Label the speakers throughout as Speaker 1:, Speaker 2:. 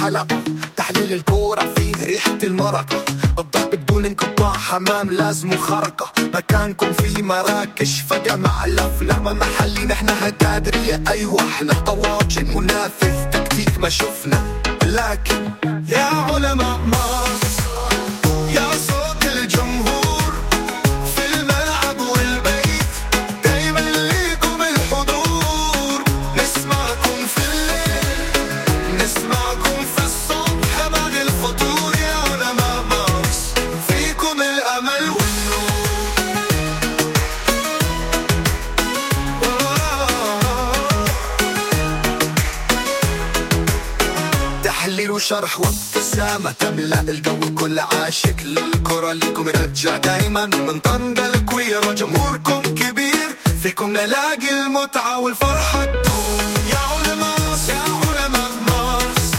Speaker 1: حلقة، تحليل الكورة فيه ريحة المرقة، الضرب بدون انقطاع، حمام لازم خرقة، مكانكم في مراكش فجمع الأفلام محلي، نحن هكادرية أيوة احنا طواجن منافذ تكتيك ما شفنا، لكن يا علماء مارس يا صوت الجمهور في الملعب والبيت، دايما ليكم الحضور، نسمعكم في الليل نسمعكم في الصبح بعد الفطور، يا علماء مارس فيكم الأمل والنور. تحليل وشرح وابتسامة تملأ الجو، كل عاشق للكرة ليكم رجع دايما من طنجة الكويرة، جمهوركم كبير فيكم نلاقي المتعة والفرحة تدوم. يا علماء يا علماء مارس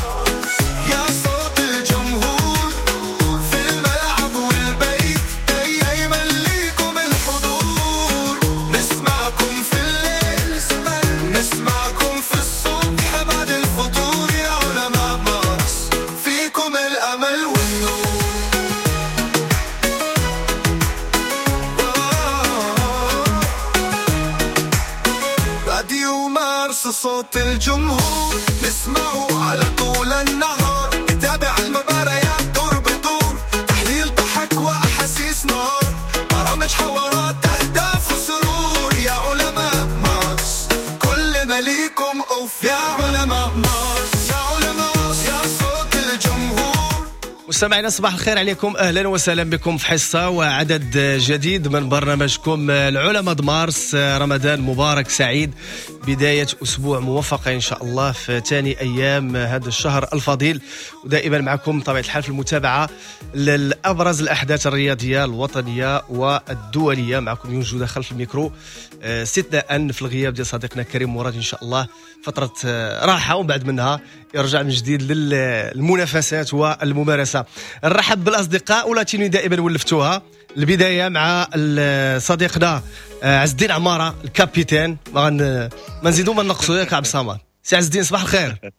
Speaker 1: يا صوت الجمهور في الملعب والبيت، دايما ليكم الحضور، نسمعكم في الليل نسمعكم في الصبح بعد الفطور، يا علماء مارس فيكم الأمل والنور. راديو مارس صوت الجمهور، نسمعه على طول النهار، نتابع المباريات دور بدور، تحليل ضحك وأحاسيس نار، برامج حوارات أهداف وسرور، يا علماء مارس كل ما ليكم أوف، يا علماء مارس يا علماء يا صوت الجمهور.
Speaker 2: مستمعينا صباح الخير عليكم، اهلا وسهلا بكم في حصة وعدد جديد من برنامجكم العلماء د مارس. رمضان مبارك سعيد، بداية اسبوع موفقة ان شاء الله في ثاني ايام هذا الشهر الفضيل، ودائما معكم طبيعة الحال في المتابعة للابرز الاحداث الرياضية الوطنية والدولية. معكم يونس جوده خلف الميكرو، استثناء في الغياب ديال صديقنا كريم مراد، ان شاء الله فترة راحة ومن بعد منها يرجع من جديد للمنافسات والممارسة. نرحب بالاصدقاء ولاتيني دائما ولفتوها. البداية مع صديقنا عز الدين عمارة ال capitaine، ما نزيدو ما نقصو ياك عبد الصمد. سي عز الدين صباح الخير.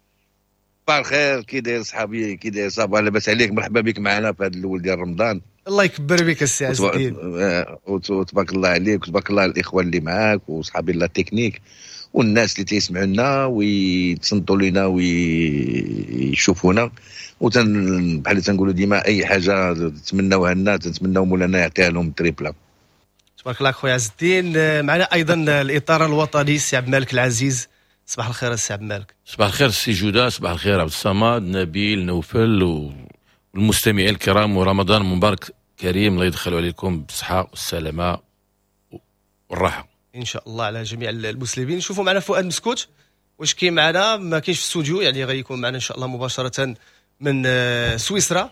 Speaker 3: صباح الخير، كي داير صحابي، كي داير صافا، لاباس عليك؟ مرحبا بك معنا في هذا الاول ديال رمضان.
Speaker 2: الله يكبر بك السي عز الدين،
Speaker 3: وتبارك الله عليك وتبارك الله على الاخوان اللي معاك وصحابي la technique والناس اللي تيسمعوا لنا ويتصنتوا لنا ويشوفونا. وتن بحال تنقولوا ديما اي حاجة تتمناوها لنا تنتمناو مولانا يعطيها لهم triple.
Speaker 2: تبارك الله خويا عز الدين. معنا ايضا الاطار الوطني السي عبد المالك العزيز. صباح الخير السي عبد المالك.
Speaker 4: صباح الخير السي جوده، صباح الخير عبد الصمد، نبيل، نوفل والمستمعين الكرام، ورمضان مبارك كريم، الله يدخل عليكم بالصحة والسلامة والراحة
Speaker 2: ان شاء الله على جميع المسلمين. شوفوا معنا فؤاد مسكوت واش كاين معنا؟ ما كاينش في الاستوديو، يعني غيكون معنا ان شاء الله مباشرة من سويسرا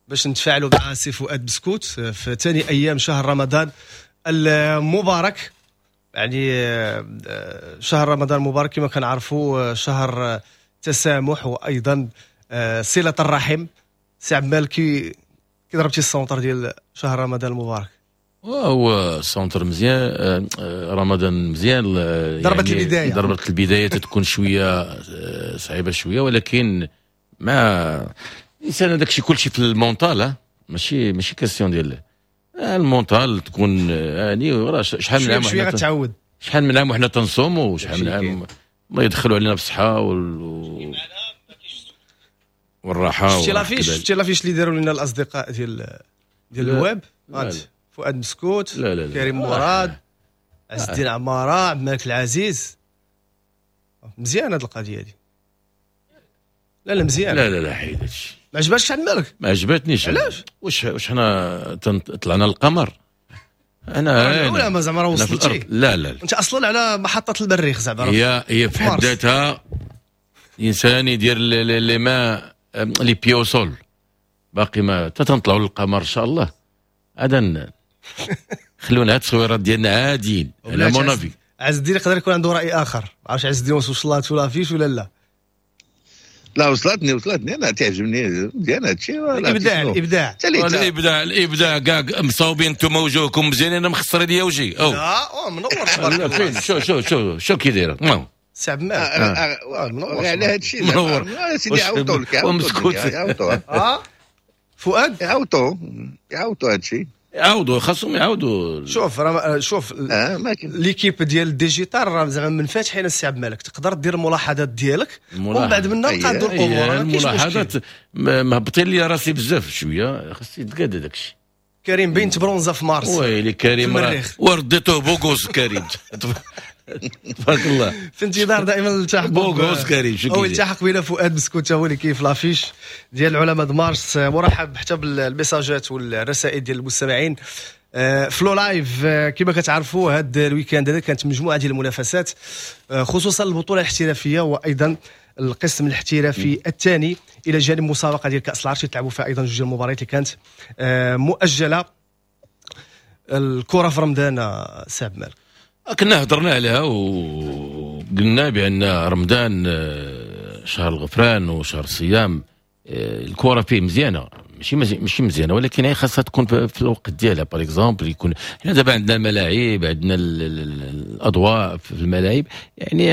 Speaker 2: باش نتفاعلوا مع سي فؤاد مسكوت في ثاني ايام شهر رمضان المبارك. يعني شهر رمضان المبارك كما كنعرفوا شهر تسامح وايضا صله الرحم. سي عبد المالك كي ضربتي ال centre ديال شهر رمضان المبارك؟
Speaker 4: هو ال centre مزيان، رمضان مزيان،
Speaker 2: ضربت يعني البداية،
Speaker 4: ضربت البداية تكون شوية صعيبة شوية، ولكن مع الانسان هذاك الشيء كلشي في ال mental، ماشي question ديال ال mental تكون يعني راه شحال من عام
Speaker 2: شوية غتعود،
Speaker 4: شحال من عام وحنا تنصوموا، وشحال من عام الله يدخلوا علينا بالصحة والراحة.
Speaker 2: شفتي l'affiche اللي داروا لنا الاصدقاء ديال الويب؟ فؤاد مسكوت، لا لا لا. كريم مراد، عز الدين عمارة، عبد المالك العزيز. مزيان هذه القضية دي. لا لا مزيان.
Speaker 4: لا لا لا حيد هادشي.
Speaker 2: ما عجبكش عبد المالك؟
Speaker 4: ما عجبتنيش.
Speaker 2: علاش؟
Speaker 4: واش حنا طلعنا للقمر؟ انا
Speaker 2: ولا ما زعما راه وصلتي؟
Speaker 4: لا لا
Speaker 2: انت اصلا على محطة المريخ زعما.
Speaker 4: هي في حد ذاتها انسان يدير les mains les pieds au sol، باقي ما تنطلعوا للقمر ان شاء الله. هذا خلونا هاد التصويرات ديالنا عاديين على mon avis.
Speaker 2: عز الدين يقدر يكون عنده راي اخر، ما عرفتش عز الدين واش وصلاتو l'affiche ولا لا.
Speaker 3: لا وصلتني انا تعجبني مزيان هادشي.
Speaker 2: الابداع الابداع
Speaker 4: الابداع الابداع كاع مصاوبين انتم وجوهكم مزيانين، انا مخسر ليا وجهي.
Speaker 2: لا منور تبارك الله.
Speaker 4: شو شو شو شو كي دايرة.
Speaker 2: سي عبد المالك
Speaker 3: منور على هذا الشيء.
Speaker 4: منور
Speaker 3: سيدي، عاوطوا لك.
Speaker 4: ومسكوت.
Speaker 3: عاوطوا.
Speaker 2: فؤاد
Speaker 3: يعاوطوا يعاوطوا هذا الشيء.
Speaker 4: يعاودوا، خاصهم يعاودوا.
Speaker 2: شوف راه شوف l'équipe ديال ال digital راه زعما منفتحين. السي عبد الملك، تقدر دير الملاحظات ديالك ومن بعد منا نقادوا الامور.
Speaker 4: الملاحظات مهبطين لي راسي بزاف شويه، خاص يتقاد هذاك الشيء.
Speaker 2: كريم بين تبرونزا في مارس.
Speaker 4: ويلي كريم ورديتوه beau gosse كريم، تبارك الله.
Speaker 2: في انتظار دائما التحق
Speaker 4: beau gosse كريم.
Speaker 2: شو او التحق بنا فؤاد مسكوت، هو اللي كاين في l'affiche ديال العلماء مارس. مرحب حتى بالميساجات والرسائل ديال المستمعين ف le live. كما كتعرفوا هذا ال week-end هذا كانت مجموعة ديال المنافسات، خصوصا البطولة الاحترافية وايضا القسم الاحترافي الثاني، الى جانب مسابقة ديال كاس العرش تلعبوا فيها ايضا جوج المباريات اللي كانت مؤجلة. الكره في رمضان سي عبد المالك
Speaker 4: كنا هضرنا عليها وقلنا بان رمضان شهر الغفران وشهر الصيام، الكره فيه مزيانه، ماشي مزيانه، ولكن هي خاصها تكون في الوقت ديالها. par exemple يكون حنا دابا عندنا الملاعب، عندنا الاضواء في الملاعب، يعني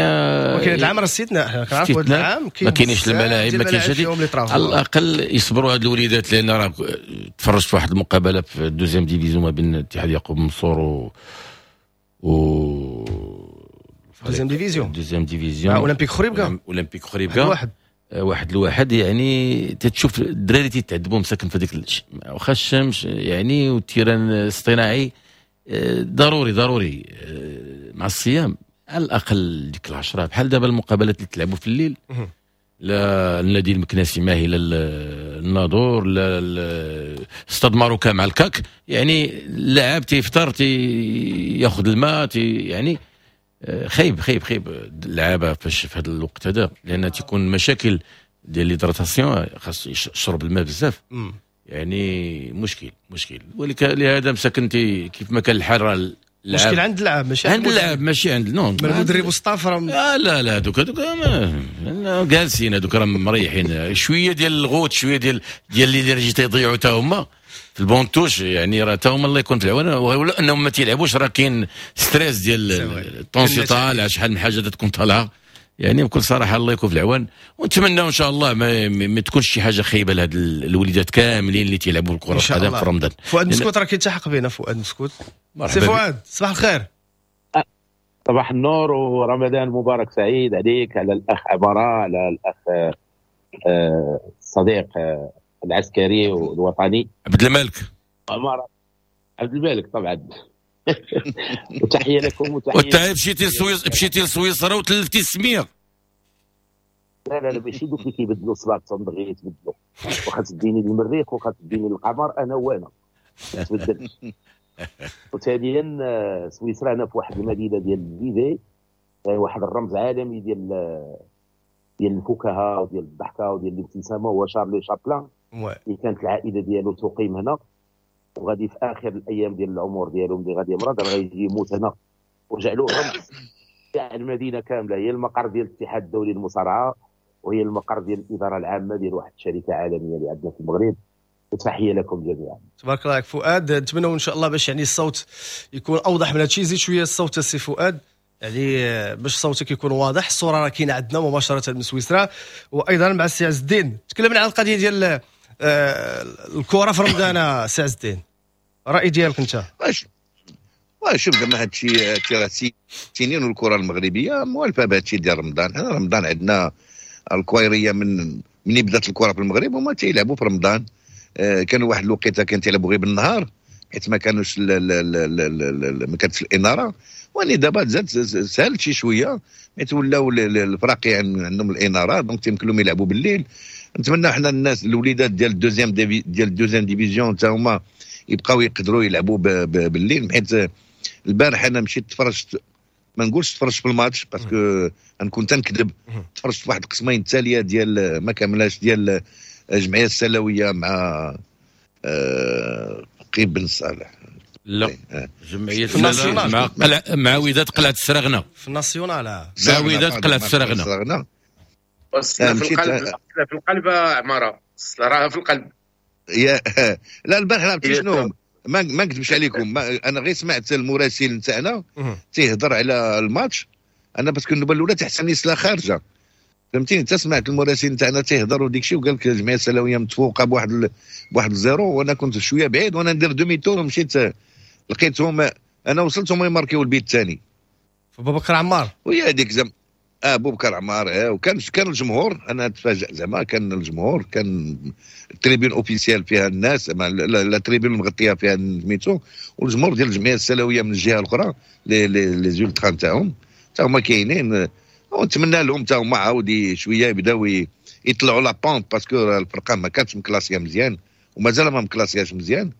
Speaker 2: ولكن هذا العام راه استثناء، حنا كنعرفوا هذا العام
Speaker 4: ما كاينينش الملاعب، ما كاينش هادي. على الاقل يصبروا هاد الوليدات، لان راه تفرجت في واحد المقابلة في ال deuxième division ما بين اتحاد يعقوب منصور و
Speaker 2: deuxième division،
Speaker 4: deuxième division
Speaker 2: اولمبيك خريبكا.
Speaker 4: اولمبيك خريبكا
Speaker 2: واحد
Speaker 4: 1-1. يعني تتشوف الدراري تيتعذبوا مساكن في هذيك، واخا الشمس يعني وال terrain الاصطناعي. ضروري ضروري مع الصيام على الاقل ديك 10، بحال دابا المقابلات اللي تلعبوا في الليل، لا النادي المكناسي ماهي، لا الناظور، لا ستاد ماروكا مع الكاك، يعني اللاعب تيفطر تياخذ الماء يعني خايب خايب خايب اللعابه فاش في هذا الوقت هذا، لان تيكون مشاكل ديال l'hydratation، خاص يشرب الماء بزاف، يعني مشكل مشكل. ولكن لهذا مساكن كيف ما كان الحال راه
Speaker 2: مشكل عند اللاعب، ماشي
Speaker 4: عند اللاعب، ماشي عند non
Speaker 2: المدرب و staff راه
Speaker 4: لا لا هذوك جالسين، هذوك راه مريحين شوية ديال الغوت، شوية ديال l'énergie تيضيعوا حتى هما في ال banc de touche، يعني راه حتى هما الله يكون في العون، ولا انهم ما تيلعبوش راه كاين stress ديال ال tension طالع، شحال من حاجة تكون طالعه، يعني بكل صراحة الله يكون في العوان. ونتمنى ان شاء الله ما تكونش شي حاجة خايبة لهاد الوليدات كاملين اللي تيلعبوا الكره القدم في رمضان.
Speaker 2: فؤاد مسكوت راه كيلتحق بنا. فؤاد مسكوت، سي فؤاد صباح الخير.
Speaker 5: صباح النور ورمضان مبارك سعيد عليك، على الاخ عمارة، على الاخ الصديق العسكري والوطني
Speaker 4: عبد الملك
Speaker 5: عمارة، عبد الملك طبعا. وتحية لكم وتحية.
Speaker 4: وانت مشيتي لسويسرا وتلفتي السمية.
Speaker 5: لا لا لا ماشي دوك اللي كيبدلوا صباغتهم دغيا يتبدلوا، واخا تديني للمريخ واخا تديني للقمر انا وانا ما تبدلش. وثانيا سويسرا انا في واحد المدينة ديال فيفي، واحد الرمز عالمي ديال الفكاهة وديال الضحكة وديال الابتسامة، هو شارلي شابلان اللي كانت العائلة ديالو تقيم هنا، وغادي في اخر الايام ديال العمر ديالو ملي غادي يمرض راه غيجي يموت هنا، وجعلوه رمز تاع المدينة كاملة. هي المقر ديال الاتحاد الدولي للمصارعه، وهي المقر ديال الادارة العامة ديال واحد الشركة عالمية اللي عندنا في المغرب. وتحية لكم جميعا.
Speaker 2: تبارك الله عليك فؤاد، نتمنى ان شاء الله باش يعني الصوت يكون اوضح من هادشي. زيد شوية الصوت السي فؤاد، يعني باش صوتك يكون واضح. الصورة راه كاينه عندنا مباشرة من سويسرا. وايضا مع السي عز الدين تكلمنا على القضية ديال الكره في رمضان. سي عز الدين، الراي ديالك انت؟
Speaker 3: شوف زعما هادشي راه سنين والكره المغربية موالفه بهادشي ديال رمضان. حنا رمضان عندنا الكويريه من بدات الكره في المغرب هما تيلعبوا في رمضان. كانوا واحد الوقيته كان تيلعبوا غير بالنهار حيت ما كانوش ما كانتش الاناره، واني دابا زاد سهلت شي شوية حيت ولاو الفراقي عندهم الاناره، donc تيمكن لهم يلعبوا بالليل. نتمنى حنا الناس الوليدات ديال ال deuxième ديال ال deuxième division حتى هما يبقاو يقدروا يلعبوا بالليل. حيت البارح انا مشيت تفرجت، ما نقولش تفرجت في الماتش parce que نكون تنكذب، تفرجت في واحد القسمين التالية ديال ما كاملاش ديال الجمعية السلويه مع قيب بن صالح.
Speaker 4: لا جمعية مع مع وداد قلعه السرغنه
Speaker 2: في ال national،
Speaker 4: مع وداد قلعه السرغنه.
Speaker 6: في القلب، في القلب عمارة راها في القلب.
Speaker 3: يا لا البارح لعبت شنو، ما نكذبش عليكم، انا غير سمعت المراسل نتاعنا تيهضر على الماتش. انا parce que النوبة الاولى تحسن سلا خارجه، فهمتيني؟ انت سمعت المراسلين تاعنا تيهضروا ديك الشيء وقال لك الجمعية السلاويه متفوقه بواحد zéro، وانا كنت شوية بعيد وانا ندير demi-tour ومشيت لقيتهم، انا وصلت هما يماركيو البيت الثاني.
Speaker 2: بوبكر عمار،
Speaker 3: وهي هذيك زعما بوبكر عمار. وكان الجمهور، انا تفاجأ زعما، كان الجمهور، كان ال tribune officielle فيها الناس، la tribune مغطيه فيها سميتو، والجمهور ديال الجمعية السلاويه من الجهة الاخرى les ultras تاعهم تا هما كاينين، ونتمنى لهم تا هما عاود شوية يبداو يطلعوا la pente، parce que الفرقة ما كانتش مكلاسيه مزيان ومازال ما مكلاسياش مزيان.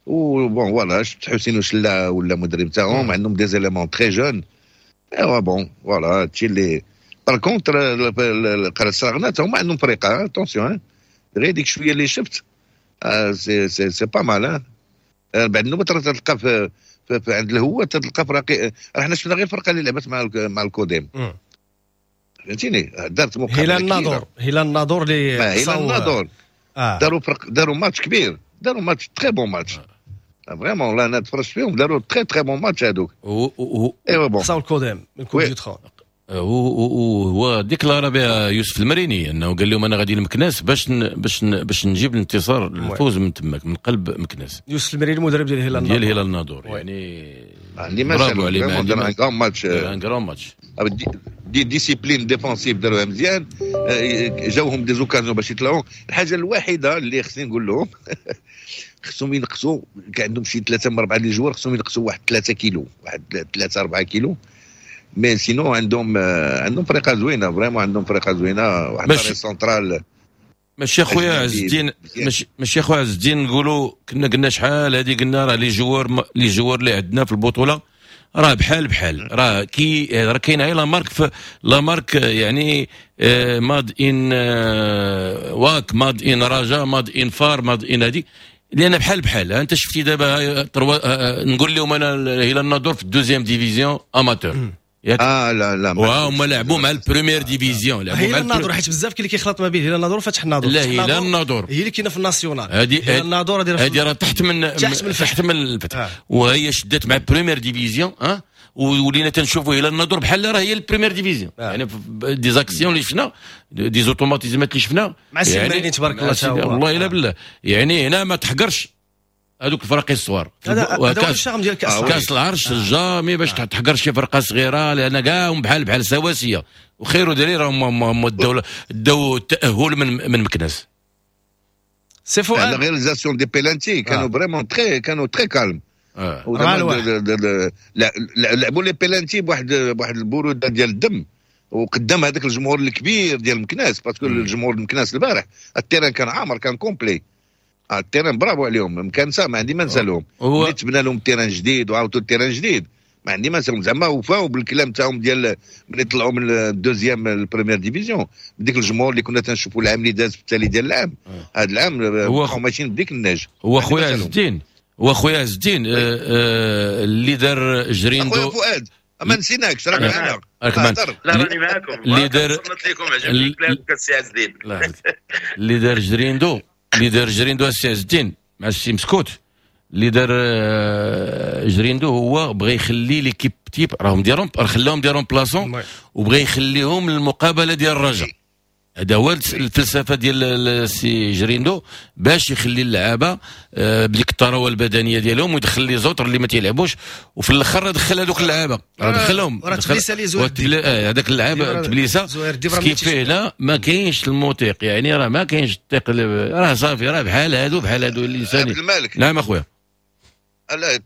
Speaker 3: و bon voilà، شفت حسين وشلا ولا مدرب تاعهم، عندهم des éléments très jeunes. ايوا bon voilà، هادشي اللي par contre قرية السراغنات هما عندهم فريقه، attention، غير ديك شوية اللي شفت c'est pas mal. بعد النوبة تلقى في عند الهوة تلقى فراقي، حنا شفنا غير الفرقة اللي لعبت مع الكوديم، فهمتيني؟ دارت مقابله
Speaker 2: هلال الناظور، هلال الناظور اللي
Speaker 3: هلال الناظور داروا فرق، داروا ماتش كبير، داروا match très bon match vraiment، والله انا تفرجت فيهم، داروا très très bon match هذوك. ايوا bon
Speaker 2: صاو الكوديم من coupe du trône.
Speaker 4: هو déclara بها يوسف المريني انه قال لهم انا غادي لمكناس باش نجيب الانتصار، الفوز من تماك من قلب مكناس.
Speaker 2: يوسف المريني المدرب ديال هلال الناظور،
Speaker 4: ديال هلال الناظور، يعني برافو عليه،
Speaker 3: دار un grand match،
Speaker 4: un grand match،
Speaker 3: des disciplines défensive داروها مزيان، جاوهم des occasions باش يطلعوا. الحاجة الوحيدة اللي خصني نقول لهم خصهم ينقصوا، كان عندهم شي 3 من 4 les joueurs، خصهم ينقصوا واحد 3 كيلو، واحد 3 4 كيلو، mais sinon عندهم فرقه زوينة vraiment، عندهم فرقه زوينة، واحد سنترال.
Speaker 4: ماشي اخويا عز الدين، ماشي اخويا عز الدين، نقولوا كنا قلنا شحال هذه، قلنا راه les joueurs اللي عندنا في البطولة راه بحال بحال، راه كي راه كاينه هي la marque، la marque يعني made in واك، made in رجا، made in فار، made in هذه، لان بحال بحال. انت شفتي دابا نقول لهم انا هلال الناظور في ال deuxième division amateur،
Speaker 3: لا لا،
Speaker 4: وهما لعبوا مع ال première division، لعبوا
Speaker 2: مع هلال الناظور، حيت بزاف كاين اللي كيخلط ما بين هلال الناظور وفتح الناظور.
Speaker 4: لا، هلال الناظور
Speaker 2: هي اللي كاينه في ال national،
Speaker 4: هذه الناظور هذه راه تحت من الفتح، وهي شدت مع première division، ولينا تنشوفوا هلال الناظور بحال راه هي ال première division، يعني des actions اللي شفنا، des automatismes اللي شفنا
Speaker 2: مع السي المريني تبارك الله،
Speaker 4: والله الا بالله، يعني هنا ما تحقرش هذوك الفرق الصغار،
Speaker 2: هذا هو ال charme ديال كاس
Speaker 4: كاس العرش، jamais باش تحقر شي فرقه صغيرة، لان كاع بحال بحال سواسية، وخير دليل راهم داو التاهل من مكناس.
Speaker 2: سي فؤاد
Speaker 3: la réalisation des pénaltys كانوا vraiment très، كانوا très calmes، لعبوا les pénaltys بواحد البرودة ديال الدم، وقدام هذاك الجمهور الكبير ديال مكناس، parce que الجمهور مكناس البارح ال terrain كان عامر، كان complet ال terrain، برافو عليهم مكانسه، ما عندي ما نسالهم، ملي تبنى لهم terrain جديد وعاودوا ال terrain جديد، ما عندي ما نسالهم، زعما وفاو بالكلام تاعهم ديال ملي طلعوا من ال deuxième لل première division، بديك الجمهور اللي كنا تنشوفوا العام اللي داز في التالي ديال العام، هذا العام بقاو ماشيين بديك النهج.
Speaker 4: هو خويا عز الدين، هو خويا عز الدين اللي دار جريندو،
Speaker 3: خويا فؤاد ما نسيناكش، راك معنا،
Speaker 6: لا راني معاكم،
Speaker 4: اللي دار
Speaker 6: صنت لكم، عجبني كلامك السي عز الدين،
Speaker 4: اللي دار جريندو، اللي دار جريندو السي عز الدين مع السي مسكوت، اللي دار جريندو هو بغى يخلي l'équipe type، راهم ديرهم، خلاهم des remplaçants، وبغى يخليهم للمقابله ديال الرجاء. هذا هو الفلسفة ديال السي جريندو، باش يخلي اللعابه بديك الثروة البدنية ديالهم، ويدخل les autres اللي ما تيلعبوش، وفي الاخر دخل هذوك اللعابه، دخلهم
Speaker 2: راه تبليسه لي زهير،
Speaker 4: هذاك اللعابه تبليسه كيف هنا ما كاينش الموثيق، يعني راه ما كاينش الثيق، راه صافي، راه بحال هادو بحال هادو الانسان.
Speaker 3: عبد الملك،
Speaker 4: نعم اخويا،
Speaker 3: لا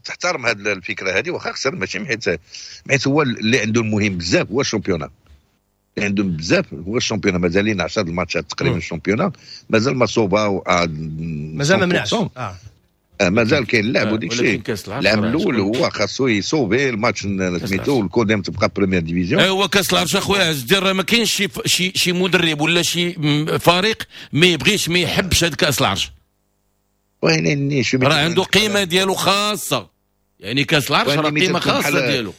Speaker 3: تحترم هذه الفكرة هذه، واخا خسر ماشي حيت هو اللي عنده المهم بزاف هو ال championnat، اللي عندهم بزاف هو ال championnat، مازالين 10 الماتشات تقريبا ال championnat مازال ما صوباو،
Speaker 2: مازال ما منعش،
Speaker 3: مازال كاين اللعب وديك الشيء. العام الاول هو خاصو يصوبي الماتش سميتو، والكوديم تبقى première division.
Speaker 4: هو كاس العرش اخويا عز الدين، راه ما كاينش شي مدرب ولا شي فريق ما يبغيش ما يحبش هذا كاس العرش، راه عنده قيمة ديالو خاصة، يعني كاس العرش راه قيمة خاصة ديالو.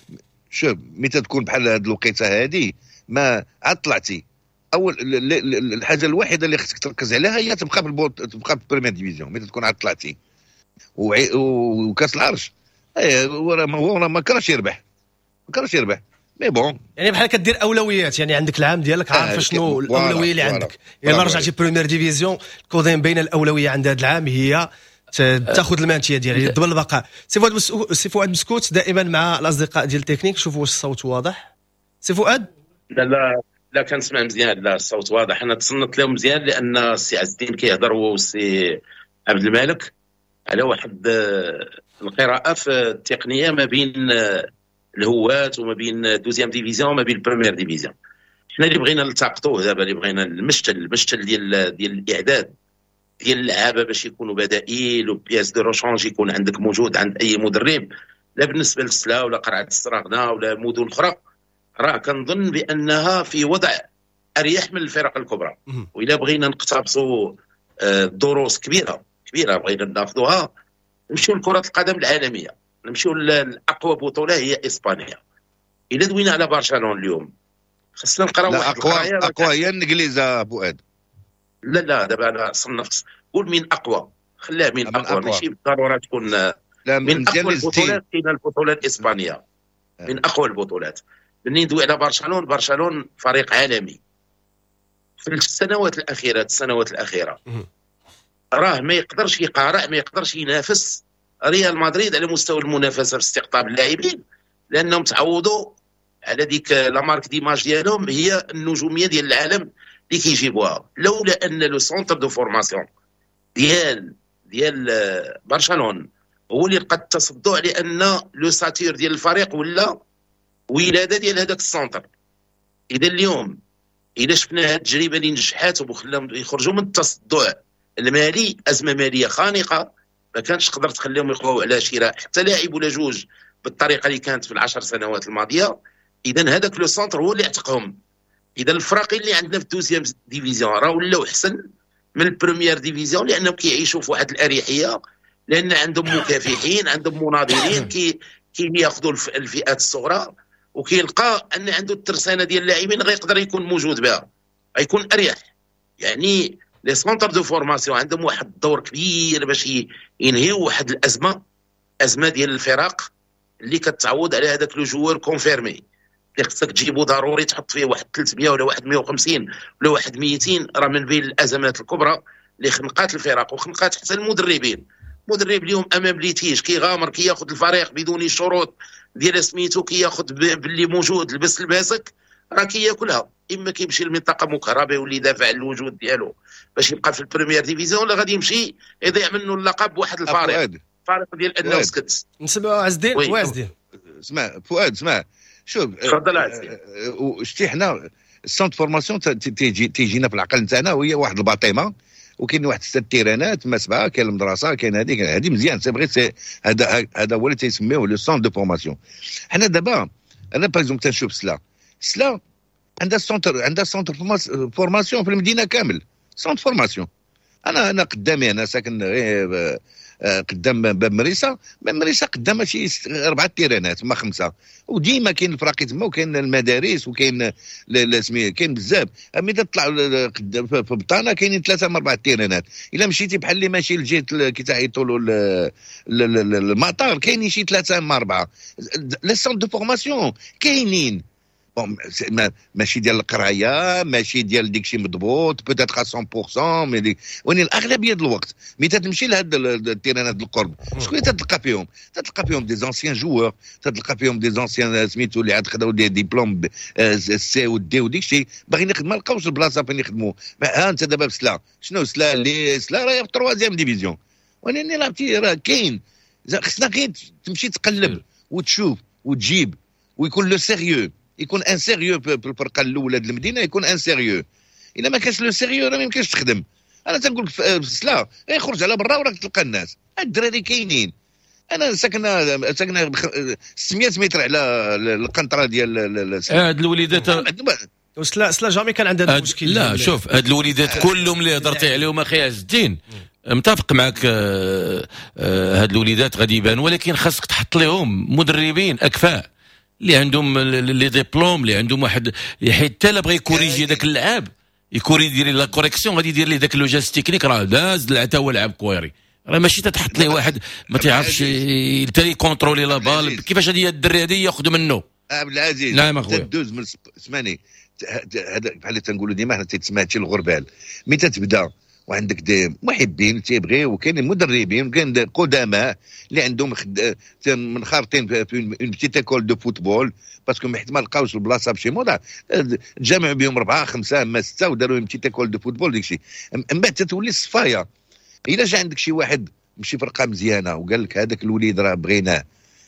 Speaker 3: شوف متى تكون بحال هذه الوقيته هذه ما عاد طلعتي، اول الحاجة الوحيدة اللي خصك تركز عليها هي تبقى في تبقى في ال première division متى تكون عاد طلعتي. وكاس العرش هو ما كرهش يربح، ما كرهش يربح. mais bon
Speaker 2: يعني بحال كدير اولويات، يعني عندك العام ديالك عارف شنو الاولوية اللي عندك. الا رجعتي première division كودين بين الاولوية عند هذا العام هي تاخذ ال maintien ديالها ضمن البقاء. سي فؤاد مسكوت دائما مع الاصدقاء ديال التكنيك، شوفوا واش الصوت واضح. سي فؤاد؟
Speaker 6: لا لا لا كنسمع مزيان، لا الصوت واضح. انا تصنت لهم مزيان لان السي عز الدين كيهضر هو والسي عبد المالك على واحد القراءة في التقنية ما بين الهوات وما بين deuxième division وما بين ال première division. حنا اللي بغينا نلتقطوه دابا، اللي بغينا المشتل ديال الاعداد ديال اللعابه باش يكونوا بدائل و pièces de rechange يكون عندك موجود عند اي مدرب، لا بالنسبة للسلا ولا قرعه السراغنه ولا مدن اخرى، راه كنظن بانها في وضع اريح من الفرق الكبرى. واذا بغينا نقتبسوا دروس كبيرة كبيرة بغينا ناخذوها، نمشيو لكرة القدم العالمية، نمشيو لاقوى بطوله هي اسبانيا. الا دوينا على برشلونة اليوم خصنا نقراو واحد
Speaker 3: اقوى هي الانجليز فؤاد.
Speaker 6: لا لا دابا انا صنفت، قول من اقوى، خليها من اقوى، ماشي بالضرورة تكون لا من اقوى البطولات. كاينه البطولة الاسبانية من اقوى البطولات. ملي ندوي على برشلونة، برشلونة فريق عالمي في السنوات الاخيرة، راه ما يقدرش يقارع، ما يقدرش ينافس ريال مدريد على مستوى المنافسة في استقطاب اللاعبين، لانهم تعودوا على ديك la marque d'image ديالهم هي النجومية ديال العالم اللي كيجيبوها. لولا ان le centre de formation ديال برشلونة هو اللي لقى التصدع، لان l'ossature ديال الفريق ولا ولاده ديال هذاك ال centre. اذا اليوم اذا شفنا هذه التجربة اللي نجحات وخلاهم يخرجوا من التصدع المالي، ازمة ماليه خانقه ما كانش تقدر تخليهم يقواو على شراء حتى لاعب ولا جوج بالطريقة اللي كانت في العشر سنوات الماضية. اذا هذاك le centre هو اللي اعتقهم. اذا الفراقي اللي عندنا في ال deuxième division راه ولاو احسن من ال première division، لانهم كيعيشوا في واحد الاريحيه، لان عندهم مكافحين، عندهم مناضلين كي ياخذوا الفئات الصغرى، وكيلقى ان عنده الترسانه ديال اللاعبين غيقدر يكون موجود بها، غيكون اريح. يعني les centres de formation عندهم واحد الدور كبير باش ينهيو واحد الازمة، ازمة ديال الفرق اللي كتعوض على هذاك le joueur confirmé اللي خصك تجيبو ضروري تحط فيه واحد 300 ولا واحد 150 ولا واحد 200. راه من بين الازمات الكبرى اللي خنقات الفرق وخنقات حتى المدربين. المدرب اليوم امام litige كيغامر، كياخذ الفريق بدون شروط ديال سميتو، كياخذ باللي موجود، لبس لباسك راه كياكلها. اما كيمشي لمنطقه مكهربه واللي يدافع على الوجود ديالو باش يبقى في ال première division، ولا غادي يمشي يضيع منه اللقب بواحد الفريق، الفريق ديال انه سكت.
Speaker 2: نسمعوا عز الدين. وعز الدين
Speaker 3: اسمع فؤاد، اسمع شوف،
Speaker 6: تفضل عز الدين.
Speaker 3: شتي حنا ال centre formation تيجينا في العقل نتاعنا وهي واحد الباطمه وكاين واحد 6 تيرانات ما 7، كاين المدرسة، كاين هذه مزيان، c'est vrai، هذا هو اللي تيسميوه le centre de formation. حنا دابا انا par exemple تنشوف سلا عندها centre، عندها centre formation في المدينة كامل، centre formation. انا قدامي، انا ساكن غير قدام باب مريسه، باب مريسه قدام شي 4 تيرانات ما 5، وديما كاين الفراقي تما وكاين المدارس وكاين كاين بزاف. ملي تطلع في بطانه كاينين 3 من 4 تيرانات. الا مشيتي بحال اللي ماشي لجهة كي تعيطوا له المطار كاينين شي 3 من 4 les centres de formation كاينين. bon ماشي ديال القراية، ماشي ديال ديك شي مضبوط peut-être 100%، mais ولكن الاغلبية ديال الوقت ملي تتمشي لهاد التيرانات القرب شكون اللي تتلقى فيهم؟ تتلقى فيهم des anciens joueurs، تتلقى فيهم des anciens سميتو اللي عاد خداو des diplômes C و D وديك الشيء، باغيين يخدموا ما لقاوش البلاصة فين يخدموا. ها انت دابا بسلا، شنو سلا اللي سلا راه في troisième division، ولكن لعبتي راه كاين، خصنا غير تمشي تقلب وتشوف وتجيب ويكون le sérieux، يكون un sérieux في الفرقة الاولى ديال المدينة، يكون un sérieux. الا ما كانش le sérieux راه ما يمكنش تخدم. انا تنقول لك سلا يخرج على برا وراك تلقى الناس، الدراري كاينين. انا ساكنة 600 متر على القنطرة ديال
Speaker 4: هاد الوليدات.
Speaker 2: سلا jamais كان عندها المشكل.
Speaker 4: لا شوف هاد الوليدات كلهم اللي هضرتي عليهم اخي عز الدين متفق معك، هاد الوليدات غادي يبانوا، ولكن خاصك تحط لهم مدربين اكفاء اللي عندهم les diplômes، اللي عندهم واحد، حيت حتى لا بغى ي corriger داك اللعاب يدير la correction غادي يدير ليه داك le geste technique، راه داز حتى هو لعب كويري، راه ماشي تتحط ليه واحد ما تيعرفش حتى ي contrôler la balle. كيفاش هذه الدري هذه ياخذ منه؟
Speaker 3: عبد العزيز.
Speaker 4: نعم اخويا.
Speaker 3: تدوز من سمعني، هذا بحال اللي تنقولوا ديما حنا تيتسمى هادشي الغربال، mais تتبدا وعندك des محبين تيبغيو، وكاين مدربين وكاين قدماء اللي عندهم منخرطين في une petite école de football، parce que حيت ما لقاوش البلاصة بشي موضع تجمعوا بهم 4 5 ما 6 وداروا une petite école de football داكشي. من بعد تتولي الصفايه. الا جا عندك شي واحد مشي فرقه مزيانه وقال لك هذاك الوليد راه بغيناه،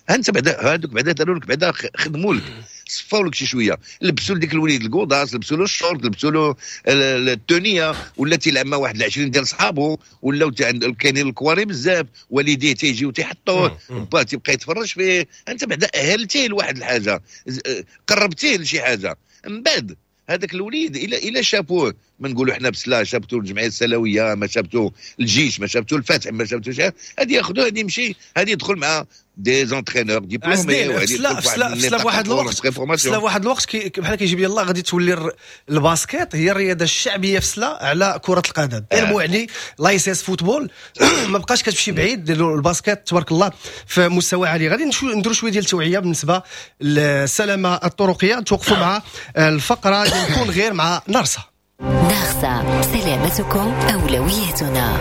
Speaker 3: انت بعدا هذوك بعدا داروا لك بعدا خدموا لك صفاو لك شي شوية، لبسوا لديك الوليد ال godasses، لبسوا له الشورت، لبسوا له ال tenue، ولا تيلعب مع واحد 20 ديال صحابو، ولاو كاينين الكواري بزاف، والديه تيجيو تيحطوه، با تيبقى يتفرج فيه. انت بعدا اهلتيه لواحد الحاجة، قربتيه لشي حاجة. من بعد هذاك الوليد الا شافوه، ما نقولوا حنا بسلا شافتو الجمعية السلويه، ما شافتو الجيش، ما شافتو الفتح، ما شافتو شي، هذه ياخذوه، هذه يمشي، هذه يدخل مع des entraîneurs diplômés.
Speaker 2: سلا واحد الوقت، سلا واحد الوقت بحال كيجيب لي الله غادي تولي ال basket هي الرياضة الشعبية في سلا على كره القدم. يعني l'ASS football ما بقاش كتمشي بعيد، ال basket تبارك الله في مستوى عالي. غادي نديروا شوية ديال التوعية بالنسبة للسلامة الطرقيه. نتوقفوا مع الفقرة ديال كون غير مع نرسه.
Speaker 7: نرسة، سلامتكم أولويتنا.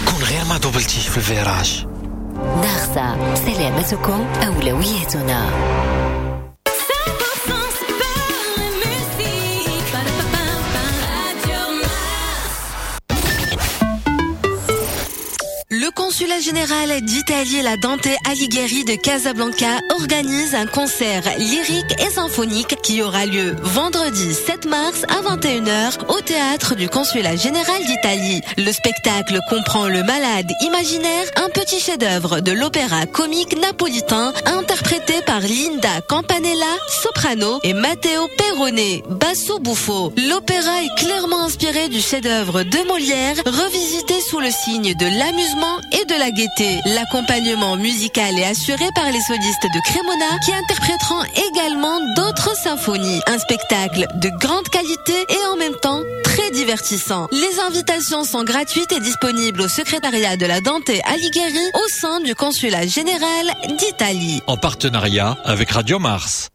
Speaker 8: كون غير ما دوبلتيش في ال virage.
Speaker 7: نرسة، سلامتكم أولويتنا.
Speaker 9: Le consulat général d'Italie, la Dante Alighieri de Casablanca, organise un concert lyrique et symphonique qui aura lieu vendredi 7 mars à 21h au théâtre du consulat général d'Italie. Le spectacle comprend Le Malade imaginaire, un petit chef-d'œuvre de l'opéra comique napolitain interprété par Linda Campanella, soprano, et Matteo Perrone, basso buffo. L'opéra est clairement inspiré du chef-d'œuvre de Molière, revisité sous le signe de l'amusement et de la gaieté. L'accompagnement musical est assuré par les solistes de Cremona qui interpréteront également d'autres symphonies. Un spectacle de grande qualité et en même temps très divertissant. Les invitations sont gratuites et disponibles au secrétariat de la Dante Alighieri au sein du consulat général d'Italie.
Speaker 10: En partenariat avec Radio Mars.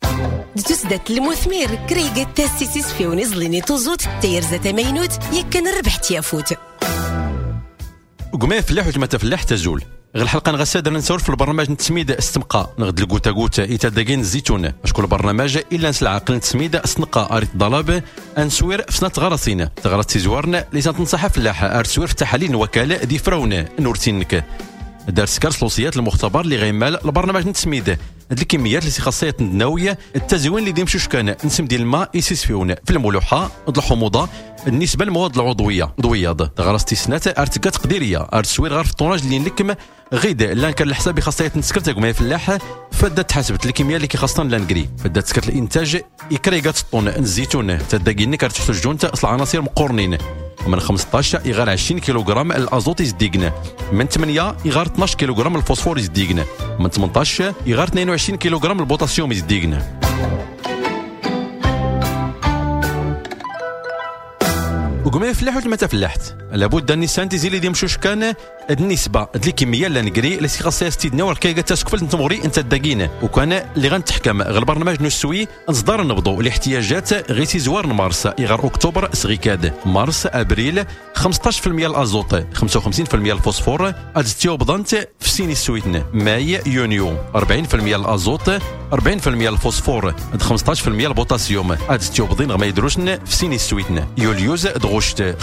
Speaker 11: تسدت المثمر كريقة تاسيسيس في ونزليني توزوت تيرزة تمينوت يكن ربحت يافوت.
Speaker 12: قماية فلاح وتما تفلاح تزول غير الحلقة نغساد ننسور في البرنامج نتسميد استمقى نغد الكوتا كوتا إتاداكين الزيتون اشكون البرنامج الا نسل عقل نتسميد استنقى اريت ضلاب انسوير في سنة غرسين تغرس تيزوارن لي تنصح فلاح ارسوير في تحاليل وكالة دي فرون نورتينك دار سكر سلوسيات المختبر اللي غيمال البرنامج نتسميد هاد الكميات اللي خاصية النووية التزوين اللي ديمشوش كان نسم ديال الماء يسيسفيون في الملوحه الحموضة بالنسبة للمواد العضوية ضوياض غرس تيسنات ارتكا تقديرية ارتسوير غير في الطوناج اللي نلكم غيد لانكر الحساب خاصية نسكرت كما فلاح فدا تحسبت الكمية اللي كيخاصنا لانكري فدا تسكرت الانتاج يكريغات الطون الزيتون تداكيني كارتحتاج اصل عناصر مقورنين من 15 إغار 20 كيلوغرام الازوت يزديقن من 8 إغار 12 كيلوغرام الفوسفور يزديقن من 18 إغار 22 كيلوغرام البوتاسيوم يزديقن. وقمي فلاح ولا ما تفلحت لابد ان السانتيزي اللي ديمشوش كان النسبة ديال الكمية لا نكري اللي خاصها ستيدنا وركايقه تسكفل نتمغري انت الداكين وكان اللي غنتحكم غير البرنامج نسوي نصدر نبضو الاحتياجات غير تيزوار مارس غير اكتوبر سغيكاد مارس ابريل 15% الازوت 55% الفوسفور ادستيوبضنت في سيني السويتن ماي يونيو 40% الازوت 40% الفوسفور 15% البوتاسيوم ادستيوبضين غما يدروشن في سيني السويتن يوليوز دغشت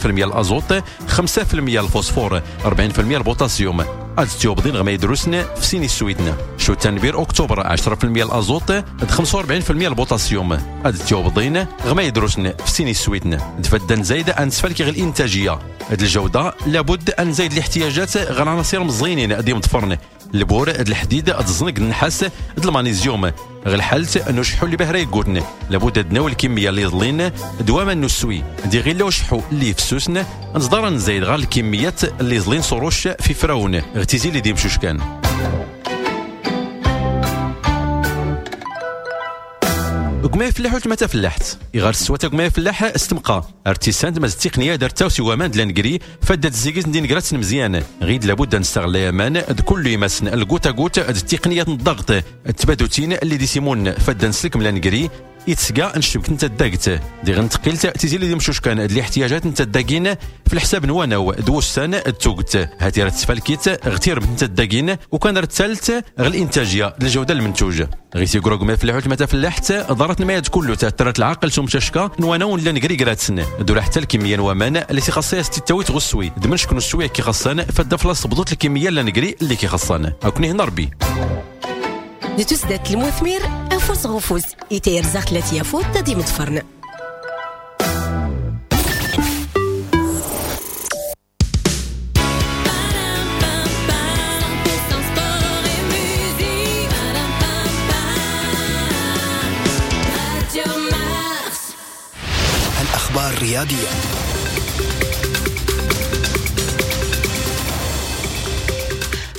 Speaker 12: 35% الازوت 5% الفوسفور 40% البوتاسيوم ادستيوبضين غما يدروسن في سيني السويتن شو تنبير اكتوبر 10% الازوت 45% البوتاسيوم ادستيوبضين غما يدروسن في سيني السويتن تفدن زايدة انسفال كي غير الانتاجية هاد الجودة لابد ان نزيد الاحتياجات غير عناصر مزينين ديم طفرن البور الحديد الزنك النحاس المغنيسيوم غير الحالة انه شحو اللي بهرا يقولن لابد تناول الكمية اللي يضلين دواما نسوي دي غير لو شحو اللي في سوسن نصدر نزيد غير الكميات اللي يضلين صروش في فراون اغتزي اللي ديمشوش كان. وكما يفلح وتما تفلحت يغار السواتا كما يفلح استمقى ارتسان مز التقنية دارتا وسوامان دلانكري فدات الزيكيز ندين كراتس مزيان غيد لابد نستغل يامان كل يمسن الكوتا كوت التقنية الضغط التبادوتين اللي دي سيمون فدا نسلك ملانكري يتسقى نشبك انت الداكت دي غنتقيل تيزي اللي مشوش كان الاحتياجات انت الداكين في الحساب نواناو دوسان التوقت هاتي راه تفالكيت غتير انت الداكين وكان الثالث غير الانتاجية الجودة المنتوج غير تيقرا ما فلاحوت ما تفلحت ضرت المياد كله تاثرت العقل سمششكا نواناو لا نكري كراتسن دولا حتى الكمية نوامان اللي تيخصها تتاوي تغسوي دمن شكون السوي كي خصان فدا فلاص بضوط الكمية لا نكري اللي كيخصان اكوني هنا ربي
Speaker 11: نتوسدات المثمر أنفس غفوز يتيرزاق ثلاث يافوت تدي متفرن.
Speaker 13: الأخبار الرياضية.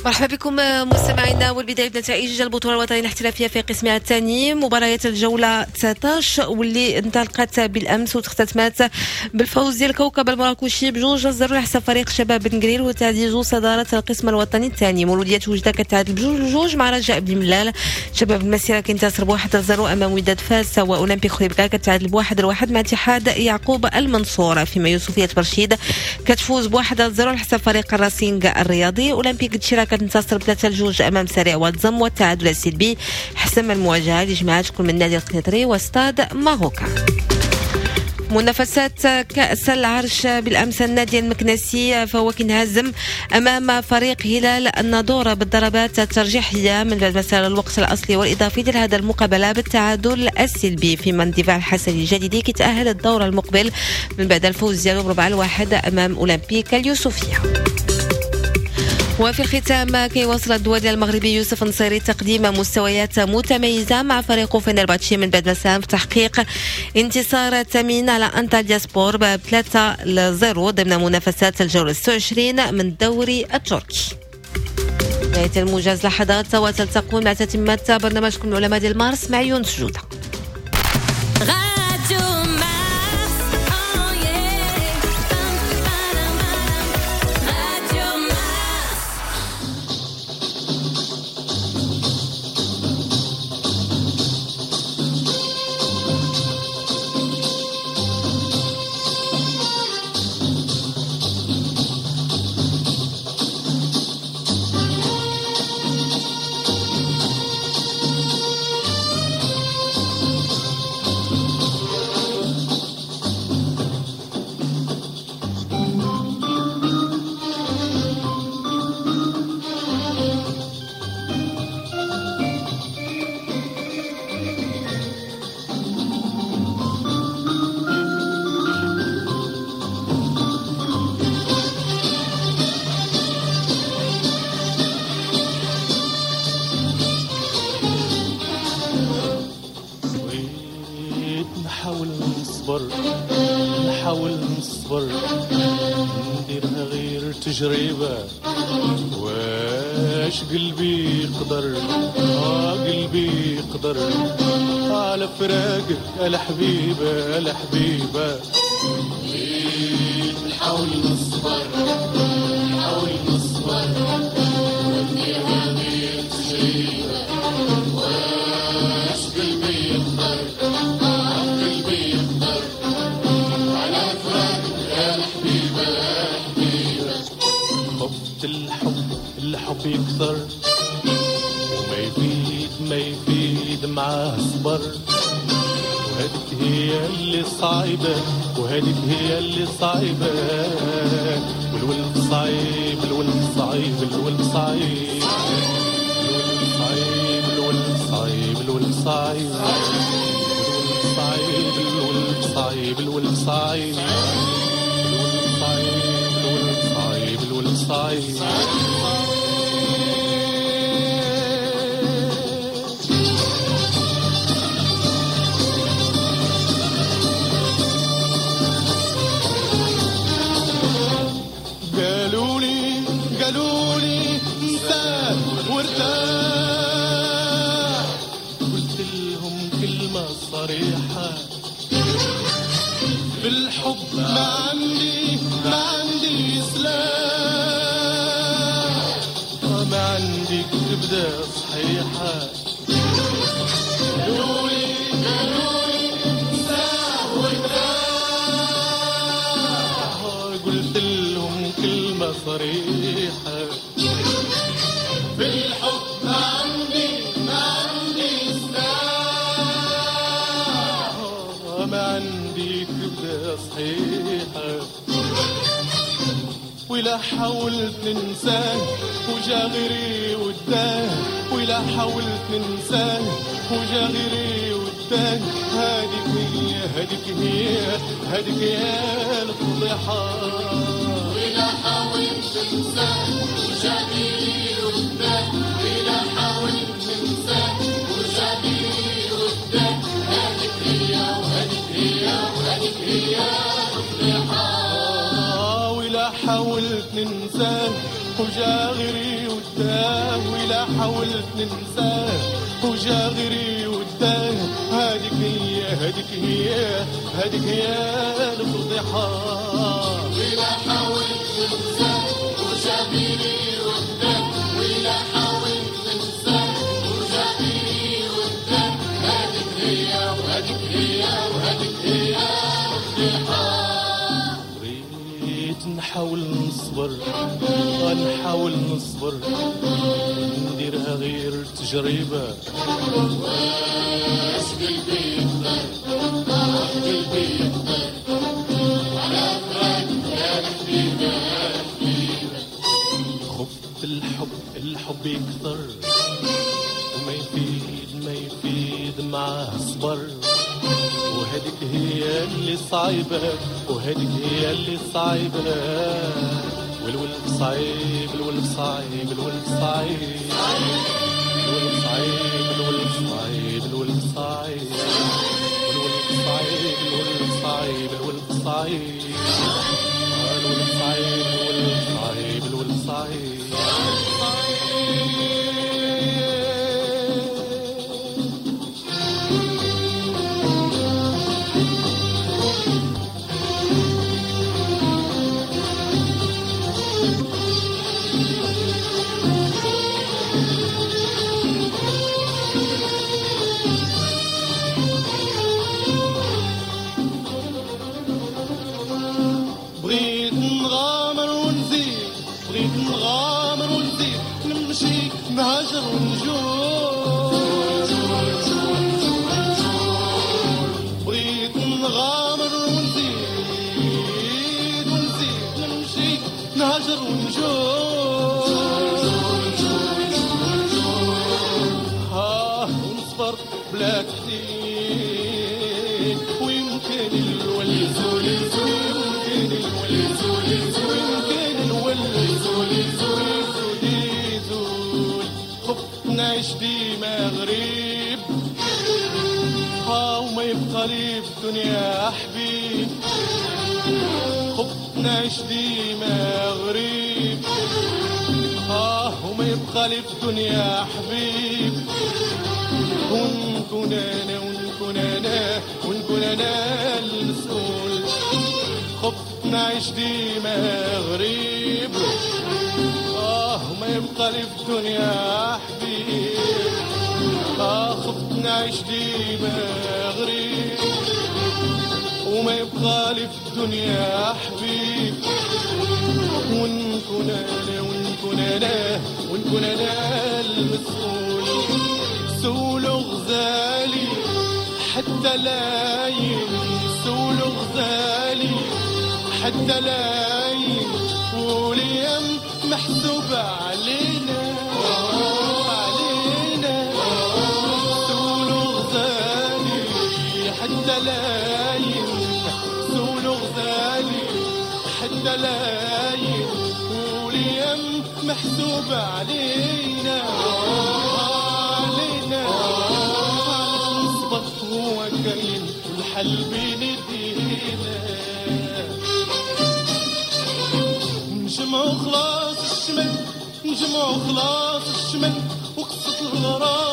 Speaker 9: مرحبا بكم مستمعينا، والبداية بنتائج البطولة الوطنية الاحترافية في قسمها الثاني، مباريات الجولة 19 واللي انطلقت بالامس وتختتمات بالفوز ديال الكوكب المراكشي ب2-0 على حساب فريق شباب بن قرير وتعزيز صدارة القسم الوطني الثاني. مولوديه وجده كتعادل ب2-2 مع رجاء بن ملال، شباب المسيرة كينتصر ب1-0 امام وداد فاس، واولمبيك خريبكا كتعادل ب1-1 مع اتحاد يعقوب المنصور، فيما يوسفيه برشيد كتفوز ب1-0 على حساب فريق الراسينغ الرياضي. اولمبيك دشيرة كتنتصر ب3-2 امام سريع واتزم، والتعادل السلبي حسم المواجهة اللي جمعت كل من النادي القنيطري وستاد ماروكا. منافسات كأس العرش بالأمس، النادي المكنسي فهو كينهزم أمام فريق هلال الناظور بالضربات الترجيحية من بعد مسار الوقت الأصلي والإضافي ديال هذا المقابلة بالتعادل السلبي، فيما اندفاع الحسني الجديدي كيتأهل الدور المقبل من بعد الفوز ديالو ب4-1 أمام أولمبيك اليوسفية. وفي الختام كيواصل الدولي المغربي يوسف نصيري تقديم مستويات متميزة مع فريقه فنرباتشي من بعد ما ساهم في تحقيق انتصار ثمين على أنطاليا سبور ب3-0 ضمن منافسات الجولة 26 من الدوري التركي. نهاية الموجز لحظات وتلتقون مع تتمة برنامجكم العلماء ديال مارس مع يونس جودة.
Speaker 14: نحاول نصبر نديرها غير تجربة، واش قلبي يقدر، قلبي يقدر على فراقك الحبيبة الحبيبة. نحاول نصبر نحاول نصبر ونديرها غير تجربة، واش قلبي يقدر، قلبي يقدر على فراقك الحبيبة الحبيبة. خفت الحب الحب يكثر وما يفيد ما يفيد معاه صبر، وهذيك هي اللي صعيبة وهذيك هي اللي صعيبة، والولد صعيب الولد صعيب الولد صعيب الولد صعيب الولد صعيب الولد صعيب الولد صعيب الولد صعيب الولد صعيب الولد صعيب. قالوا لي انسى وارتاح، قلت لهم كلمة صريحة. بالحب ما عندي سلاح، ما عندي كبدة صحيحة. قالولي انساه وارتاح، قلت لهم كلمة صريحة. بالحب ما عندي سلاح، ما عندي كبدة صحيحة. ولا حاولت ننساه وجا غيري وداه، ولا حاولت ننساه وجا غيري وداه. هذيك هي هذيك هي هذيك هي الفضيحة.
Speaker 13: ولا حاولت ننساه وجا غيري وداه، ولا حاولت ننساه وجا غيري وداه. هذيك هي وهذيك هي وهذيك هي الفضيحة.
Speaker 14: ولا حاولت ننساه وجا غيري وداه، ولا حاولت ننساه وجا غيري وداه. هذيك هي هذيك هي هذيك هي الفضيحة.
Speaker 13: ولا حاولت ننساه وجا غيري وداه، ولا حاولت ننساه وجا غيري وداه. هذيك هي وهذيك هي وهذيك هي الفضيحة.
Speaker 14: نحاول نصبر نحاول نصبر نديرها غير تجربة.
Speaker 13: واش قلبي يقدر، قلبي يقدر على فراق يا حبيبة يا حبيبة.
Speaker 14: خفت الحب الحب يكثر وما يفيد ما يفيد معاه صبر. وهذيك هي اللي صعيبة وهذيك هي اللي صعيبة. والولف صعيب الولف صعيب الولف صعيب الولف صعيب الولف صعيب الولف صعيب الولف صعيب الولف صعيب الولف صعيب الولف صعيب الولف صعيب الولف صعيب. نهاجر ونجول، بغيت نغامر ونزيد ونزيد نمشي نهاجر ونجول. ها ونصبر بلا تحديد، ويمكن الولي يزول يمكن الولي يزول ويمكن الولي يزول يزول. نعيش ديما غريب، ها وما يبقى لي في الدنيا حبيب. خفت نعيش ديما غريب، ها وما يبقى لي في الدنيا حبيب. ونكون انا ونكون انا ونكون انا المسؤول. خفت نعيش ديما غريب، وما يبقى لي في الدنيا حبيب. خفت نعيش ديما غريب، وما يبقى لي في الدنيا حبيب. ونكون انا ونكون انا ونكون انا المسؤول. سولو غزالي حتى لا ينسولو غزالي حتى لا وليام محسوبة علينا علينا. سولو غزالي حتى لا سولو غزالي حتى لا وليام محسوبة علينا علينا. علاش نصبر هو كاين والحل بين يدينا. نجمعو خلاص الشمل نجمعو خلاص الشمل وقصة الغرام.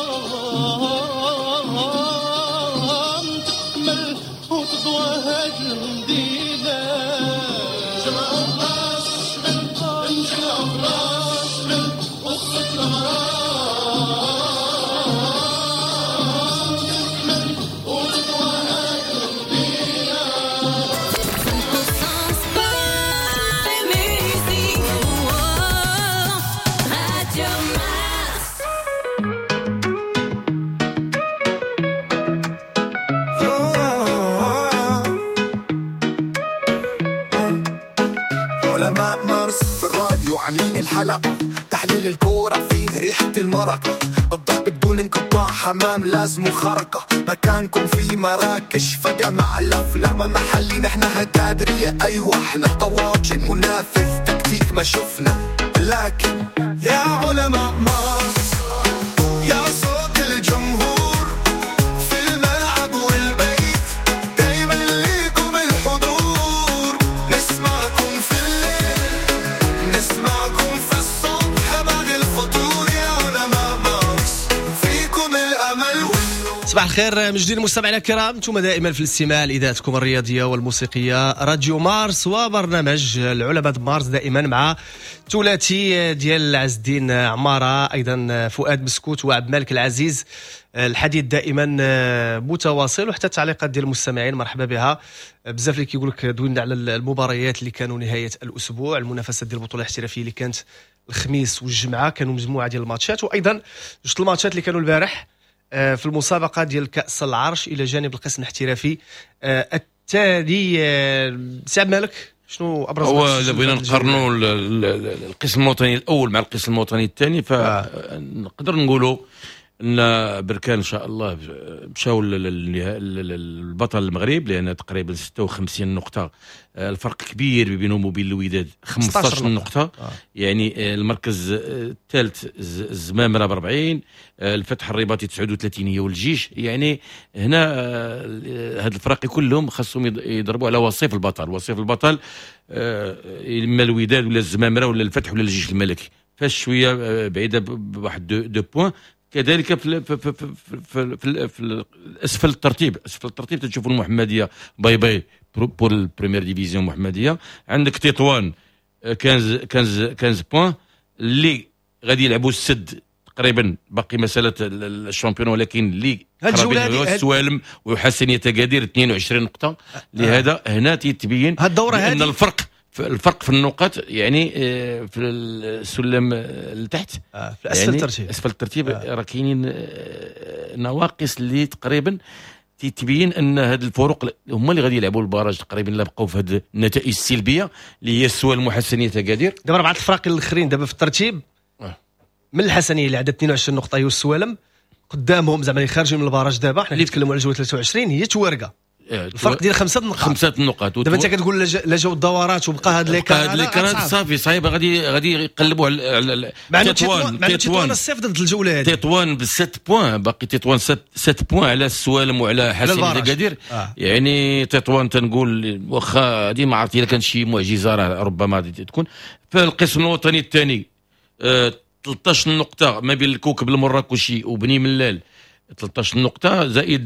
Speaker 14: المدينة، جمعوا براس الشمل، نجمعوا براس الشمل، وصلت المرام تكمل وتقوى هاد المدينة.
Speaker 9: Radio Mars.
Speaker 1: علماء مارس في الراديو عاملين الحلقة، تحليل الكورة فيه ريحة المرقة، الضرب بدون انقطاع، حمام لازم خرقة، مكانكم في مراكش فجأة مع الأفلام محلي، نحنا هتادرية أيوة احنا طواجن، منافذ تكتيك ما شفنا، لكن يا علماء مارس يا صوت الجمهور في الملعب والبيت، دايما ليكم الحضور، نسمعكم في الليل نسمعكم في الصبح بعد الفطور، يا علماء مارس فيكم الأمل والنور.
Speaker 2: صباح الخير من جديد مستمعينا الكرام، انتم دائما في الاستماع لاذاعتكم الرياضية والموسيقيه راديو مارس وبرنامج العلماء مارس، دائما مع ثلاثي ديال عز الدين عمارة، ايضا فؤاد مسكوت وعبد الملك العزيز. الحديث دائما متواصل وحتى التعليقات ديال المستمعين مرحبا بها. بزاف اللي كيقول لك دوينا على المباريات اللي كانوا نهاية الاسبوع، المنافسات ديال البطولة الاحترافية اللي كانت الخميس والجمعة، كانوا مجموعة ديال الماتشات، وايضا جوج الماتشات اللي كانوا البارح في المسابقة ديال كاس العرش الى جانب القسم الاحترافي التالي. سي عبد الملك، شنو ابرز
Speaker 4: هو اذا بغينا نقارنوا القسم الوطني الاول مع القسم الوطني الثاني، فنقدر نقولوا ان بركان ان شاء الله مشاو للبطل المغرب، لان تقريبا 56 نقطة، الفرق كبير بينهم وبين الوداد 15 نقطة. يعني المركز الثالث الزمامره ب 40، الفتح الرباطي 39 هي والجيش. يعني هنا هاد الفرق كلهم خاصهم يضربوا على وصيف البطل، وصيف البطل اما الوداد ولا الزمامره ولا الفتح ولا الجيش الملكي، فاش شوية بعيدة بواحد 2 points. كذلك في في في في, في, في اسفل الترتيب، اسفل الترتيب تشوفوا المحمدية bye bye pour ال première division محمديه. عندك تطوان 15 points اللي غادي يلعبوا السد تقريبا، باقي مسالة ال championnat، ولكن اللي السوالم وحسنيه اكادير 22 نقطة. لهذا هنا تيتبين ان الفرق في النقاط، يعني في السلم لتحت
Speaker 2: في اسفل
Speaker 4: يعني
Speaker 2: الترتيب،
Speaker 4: اسفل الترتيب راه كاينين نواقص اللي تقريبا تتبين ان هاد الفروق هما اللي غادي يلعبوا ال barrage تقريبا، لا بقاو في هاد النتائج السلبية اللي هي السوالم وحسنيه اكادير.
Speaker 2: دابا اربعة الفرق الاخرين دابا في الترتيب من الحسنيه اللي عندها 22 نقطة هي السوالم، قدامهم زعما اللي خارجين من ال barrage دابا، حنا كنتكلموا على جولة 23 هي توارقه، الفرق ديال 5 نقاط، 5
Speaker 4: نقاط.
Speaker 2: دابا انت كتقول لا جاو الدورات وبقى هاد
Speaker 4: les cartes صافي صعيبة، غادي يقلبوا على
Speaker 2: تطوان، الصيف ضد الجولة هذه
Speaker 4: تطوان ب 7 points، باقي تطوان 7 points على السوالم وعلى حسنيه اكادير. يعني تطوان تنقول واخا هذه ما عرفت الا كان شي معجزه راه ربما غادي تكون. في القسم الوطني الثاني 13 نقطة ما بين الكوكب المراكشي وبني ملال، 13 نقطة زائد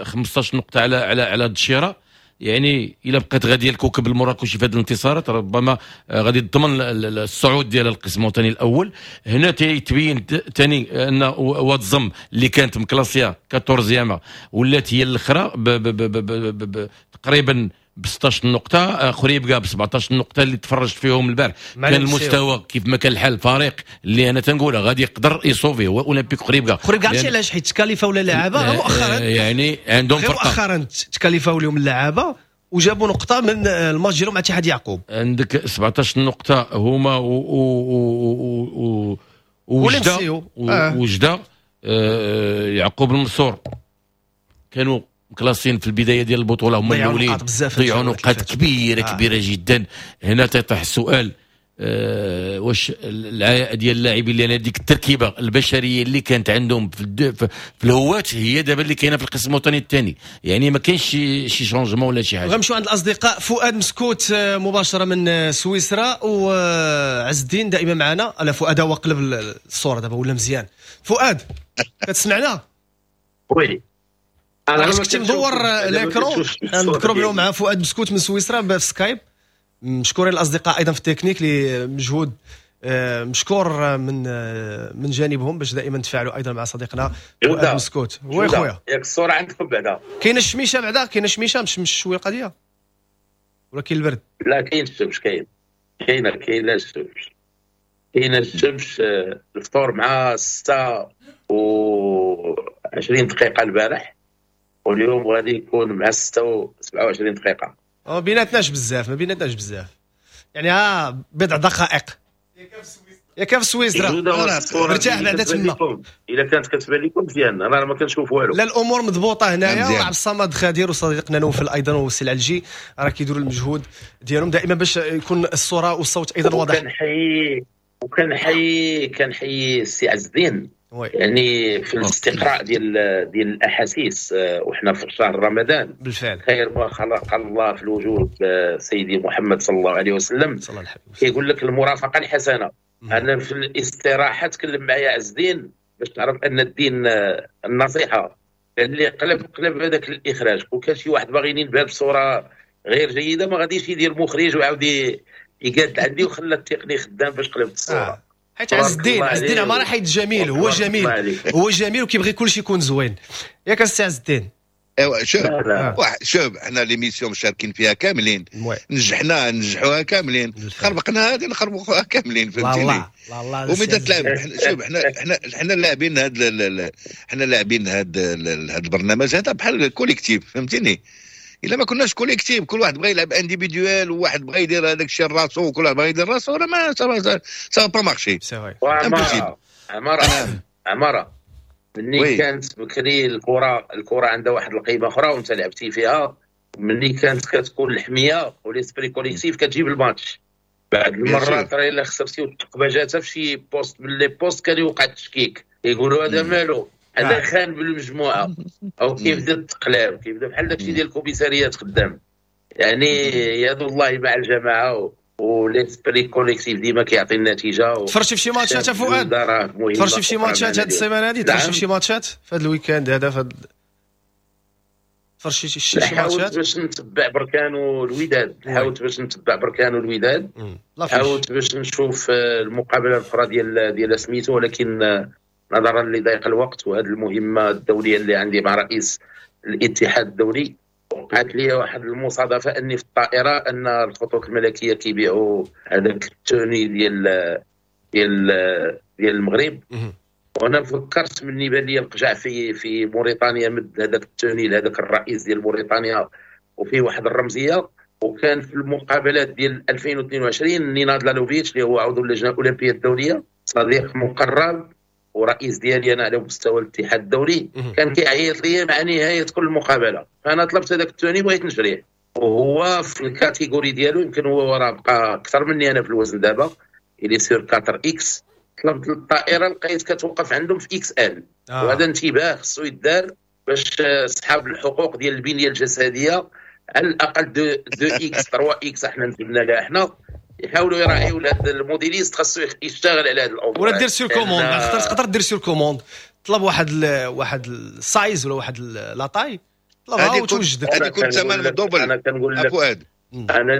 Speaker 4: 15 نقطة على على على الدشيرة. يعني إلا بقات غادية الكوكب المراكشي في هذه الانتصارات ربما غادي تضمن الصعود ديال القسم الوطني الأول. هنا تيتبين ثاني أن واد زم اللي كانت مكلاسية 14 ولات هي الأخرى تقريبا ب 16 نقطة، خريبكا ب 17 نقطة اللي تفرجت فيهم البارح. كان المستوى كيف ما كان الحال، الفريق اللي انا تنقولها غادي يقدر يصوفي هو اولمبيك خريبكا.
Speaker 2: خريبكا عرفتي علاش؟ حيت تكاليفاو اللعابه مؤخرا،
Speaker 4: يعني عندهم فرقه
Speaker 2: مؤخرا تكاليفاو لهم اللعابه وجابوا نقطة من الماتش ديالهم مع اتحاد يعقوب.
Speaker 4: عندك 17 نقطة هما وجده وجده يعقوب المنصور كانوا مكلاسين في البداية ديال البطولة، هما الاولين ضيعوا نقاط كبيرة كبيرة جدا. هنا تيطرح السؤال واش العياء ديال اللاعبين، لان ديك التركيبة البشرية اللي كانت عندهم في الهوات هي دابا اللي كاينه في القسم الوطني الثاني، يعني ما كاينش شي changement ولا شي حاجة.
Speaker 2: غنمشيو عند الاصدقاء فؤاد مسكوت مباشرة من سويسرا، وعز الدين دائما معنا. على فؤاد هو قلب الصورة دابا ولا مزيان. فؤاد كتسمعنا؟
Speaker 6: oui.
Speaker 2: انا كنت مدور l'écran. نذكروا مع فؤاد مسكوت من سويسرا في سكايب. مشكورين الاصدقاء ايضا في التكنيك لمجهود مشكور من جانبهم باش دائما نتفاعلوا ايضا مع صديقنا فؤاد مسكوت. oui خويا،
Speaker 6: ياك الصورة عندكم بعدا؟
Speaker 2: كاينه الشميشه بعدا، كاينه الشميشه مش شوية القضية ولا كاين البرد؟
Speaker 6: لا كاين الشمس، كاينه الشمس، كاينه الشمس. الفطور مع 6:20 دقيقة البارح، واليوم غادي يكون مع 6:27 دقيقة.
Speaker 2: ما بيناتناش بزاف، ما بيناتناش بزاف يعني، بضع دقائق. يا كيف سويسرا ارتاح بعدا تما.
Speaker 6: الا كانت كتبان لكم مزيان، انا ما كنشوف والو.
Speaker 2: لا الامور مضبوطة هنايا. وعبد الصمد خدير وصديقنا نوفل ايضا والسي العلجي راه كيديروا المجهود ديالهم دائما باش يكون الصورة والصوت ايضا واضح.
Speaker 6: وكنحيي كنحيي السي عز الدين، يعني في الاستقراء ديال الاحاسيس وحنا في شهر رمضان.
Speaker 2: بالفعل
Speaker 6: خير ما خلق الله في الوجود سيدي محمد صلى الله عليه وسلم، كيقول لك المرافقة الحسنة. انا في الاستراحة تكلم معايا عز الدين باش تعرف ان الدين النصيحة، اللي قلب هذاك الاخراج. وكان شي واحد باغي ينبه بصورة غير جيدة ما غاديش يدير مخرج ويعاود يقاد عندي، وخلى التقني خدام باش قلبت الصورة.
Speaker 2: حيت عز الدين، عز الدين عمارة حيت جميل، هو جميل، هو جميل وكيبغي كلشي يكون زوين. ياك السي عز الدين؟
Speaker 3: ايوا شوف شوف، حنا l'émission مشاركين فيها كاملين، نجحنا نجحوها كاملين، خربقنا هذه نخربقوها كاملين، فهمتيني؟ ومن تلعب شوف حنا لاعبين هذا، حنا لاعبين هذا البرنامج هذا بحال collectif، فهمتيني؟ الا ما كناش collectif، كل واحد بغى يلعب individuel، وواحد بغى يدير هذاك الشيء راسو، وكل واحد بغى يدير راسو، راه ما ça va pas marcher.
Speaker 6: عمارة عمارة ملي كانت بكري الكره عندها واحد القيمة اخرى وانت لعبتي فيها. ملي كانت كتكون الحمية و l'esprit collectif كتجيب الماتش. بعد المرات راه الا خسرتي والثقبه جاتها في شي poste من les postes كان يوقع التشكيك، يقولوا هذا مالو، هذا خان بالمجموعة، او كيبدا التقلاب، كيبدا بحال داكشي ديال الكوميساريات خدام. يعني يد الله مع الجماعة و l'esprit collectif ديما كيعطي النتيجة.
Speaker 2: تفرجتي في شي ماتشات فؤاد؟ تفرجتي في شي ماتشات هاد السيمانة هادي؟ تفرجتي في شي ماتشات في هاد ال week-end هذا؟ في هاد تفرجتي شي ماتشات؟
Speaker 6: حاولت باش نتبع بركان والوداد، حاولت باش نتبع بركان والوداد، حاولت باش نشوف المقابلة الاخرى ديال سميتو، ولكن نظرا لضيق الوقت وهذه المهمة الدولية اللي عندي مع رئيس الاتحاد الدولي، وقعت لي واحد المصادفه اني في الطائرة ان الخطوط الملكية كيبيعوا هذاك ال tenue ديال ديال ديال المغرب. وانا فكرت مني بان لي القجع في موريتانيا مد هذاك ال tenue لهذاك الرئيس ديال موريتانيا، وفيه واحد الرمزية. وكان في المقابلات ديال 2022 نيناد لالوفيتش اللي هو عضو اللجنة الاولمبية الدولية، صديق مقرب ورئيس ديالي انا على مستوى الاتحاد الدولي، كان كيعيط لي مع نهاية كل مقابله. فانا طلبت هذاك ال tenue بغيت نشريه، وهو في ال catégorie ديالو يمكن هو راه بقى اكثر مني انا في الوزن دابا، il est sur 4 X. طلبت الطائرة لقيت كتوقف عندهم في XL. وهذا انتباه خصو يدار باش اصحاب الحقوق ديال البنية الجسدية على الاقل 2 X 3 X احنا نزلنا لها، حنا يحاولوا يراعيوا هذا ال modéliste خاصو يشتغل على هذا الامور.
Speaker 2: ولا دير sur commande، تقدر دير sur commande، طلب واحد ال size ولا واحد la taille، طلبها وتوجدك.
Speaker 3: هذه كنت ثمن ال double.
Speaker 6: انا كنقول لك انا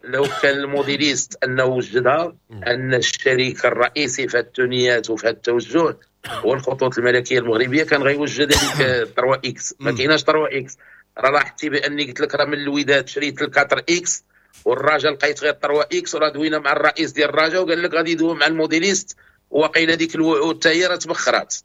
Speaker 6: لو كان ال modéliste انه وجدها، ان الشريك الرئيسي في التونيات وفي التوجه هو الخطوط الملكية المغربية، كان غيوجد هذيك 3 X. ما كايناش 3 X. راه لاحظتي باني قلت لك راه من الوداد شريت 4 X والرجاء لقيت غير 3 X، وراه دوينا مع الرئيس ديال الرجاء وقال لك غادي يدوي مع ال modéliste، وقيل هذيك الوعود حتى هي راه تبخرات.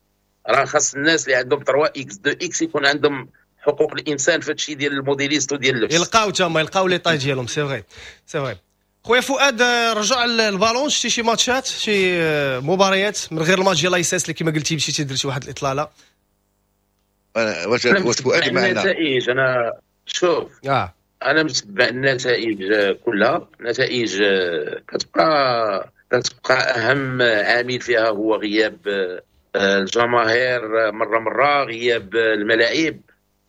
Speaker 6: راه خاص الناس اللي عندهم 3 X 2 X يكون عندهم حقوق الانسان في هادشي ديال ال modéliste وديال اللبس،
Speaker 2: يلقاو تما يلقاو les tailles ديالهم. c'est vrai c'est vrai. خويا فؤاد، رجع البالون، شتي شي ماتشات، شي مباريات من غير الماتش ديال الايساس اللي كما قلتي مشيتي درتي واحد الاطلاله؟
Speaker 3: واش فؤاد معنا
Speaker 6: النتائج؟ انا شوف انا متبع النتائج كلها. نتائج كتبقى اهم عامل فيها هو غياب الجماهير مرة، غياب الملاعب.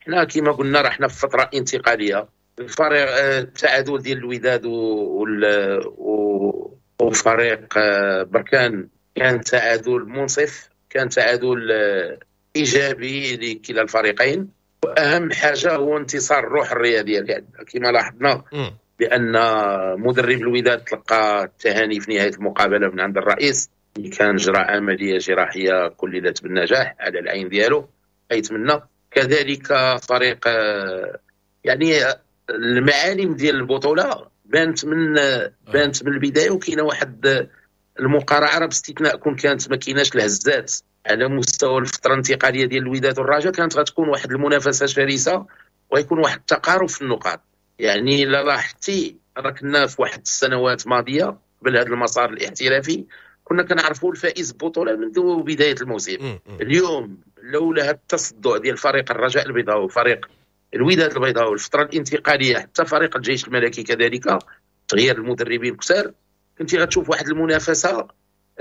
Speaker 6: حنا كما قلنا راه حنا في فترة انتقالية. الفريق التعادل ديال الوداد وفريق بركان كان تعادل منصف، كان تعادل ايجابي لكلا الفريقين. واهم حاجة هو انتصار الروح الرياضية اللي عندنا. كما لاحظنا بان مدرب الوداد تلقى التهاني في نهاية المقابلة من عند الرئيس اللي كان جرى عملية جراحية كللت بالنجاح على العين ديالو، يتمنى كذلك فريق. يعني المعالم ديال البطولة بانت من البداية، وكاينه واحد المقارعه باستثناء كون كانت ما كايناش الهزات على مستوى الفترة الانتقالية ديال الوداد والرجاء، كانت غتكون واحد المنافسة شرسة ويكون واحد التقارب في النقاط. يعني لا لاحظتي راه كنا في واحد السنوات ماضيه قبل هذا المسار الاحترافي كنا كنعرفوا الفائز بالبطولة منذ بداية الموسم. اليوم لولا هذا التصدع ديال فريق الرجاء البيضاوي وفريق الوداد البيضاوي الفترة الانتقالية، حتى فريق الجيش الملكي كذلك تغيير المدربين كثار، كنتي غتشوف واحد المنافسة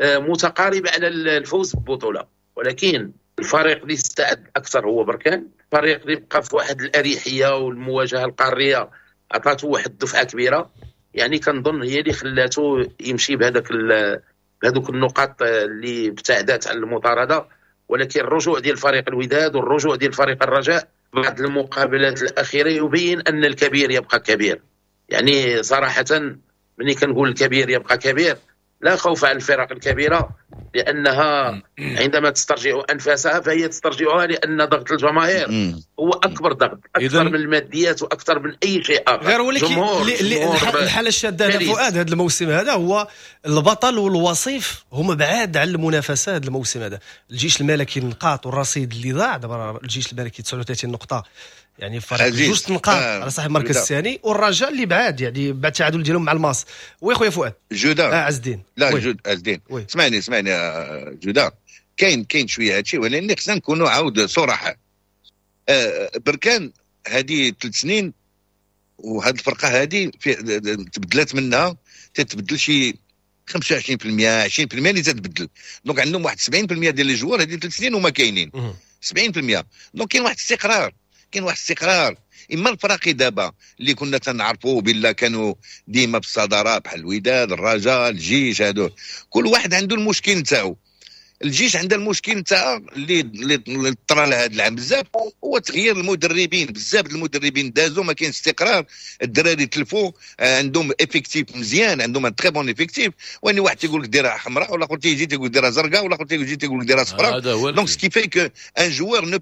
Speaker 6: متقاربة على الفوز بالبطولة. ولكن الفريق اللي استعد اكثر هو بركان، الفريق اللي بقى في واحد الاريحيه والمواجهة القارية عطاته واحد الدفعة كبيرة، يعني كنظن هي اللي خلاته يمشي بهذوك النقاط اللي ابتعدت عن المطارده. ولكن الرجوع ديال فريق الوداد والرجوع ديال فريق الرجاء بعد المقابلات الاخيرة يبين ان الكبير يبقى كبير. يعني صراحة ملي كنقول الكبير يبقى كبير، لا خوف على الفرق الكبيرة، لانها عندما تسترجع انفاسها فهي تسترجعها لان ضغط الجماهير هو اكبر ضغط، اكثر من الماديات واكثر من اي شيء اخر.
Speaker 2: غير ولكن الحالة الشاده هذا فؤاد هذا الموسم هذا هو البطل والوصيف هما بعاد على المنافسة هذا الموسم هذا. الجيش الملكي النقاط والرصيد اللي ضاع دابا، الجيش الملكي 39 نقطة، يعني فرق جوج نقاط على صاحب المركز الثاني، والرجاء اللي بعاد يعني بعد التعادل ديالهم مع الماس. oui خويا فؤاد.
Speaker 3: جوده
Speaker 2: عز الدين.
Speaker 3: لا جود عز الدين، اسمعني جوده، كاين شوية هادشي، ولكن خصنا نكونوا عاود صراحة. بركان هذه 3 سنين وهاد الفرقة هذه تبدلات منها، تتبدل شي 25% 20% اللي تتبدل. donc عندهم واحد 70% ديال les joueurs هذه 3 سنين وما كاينين 70%. donc كاين واحد الاستقرار، كاين واحد الاستقرار. اما الفراقي دابا اللي كنا تنعرفوا بالله كانوا ديما بالصداره بحال الوداد، الرجاء، الجيش، هادو كل واحد عنده المشكل نتاعو. الجيش عنده المشكل نتاع اللي طرا لها هذا العام بزاف هو تغيير المدربين، بزاف المدربين دازوا ما كاين استقرار، الدراري تلفوا، عندهم effectif مزيان، عندهم un très bon effectif، واني واحد تيقول لك ديرها حمراء، ولا اخر تيجي تيقول ديرها زرقاء، ولا اخر تيجي تيقول لك ديرها صفراء. donc ce qui fait que un joueur ne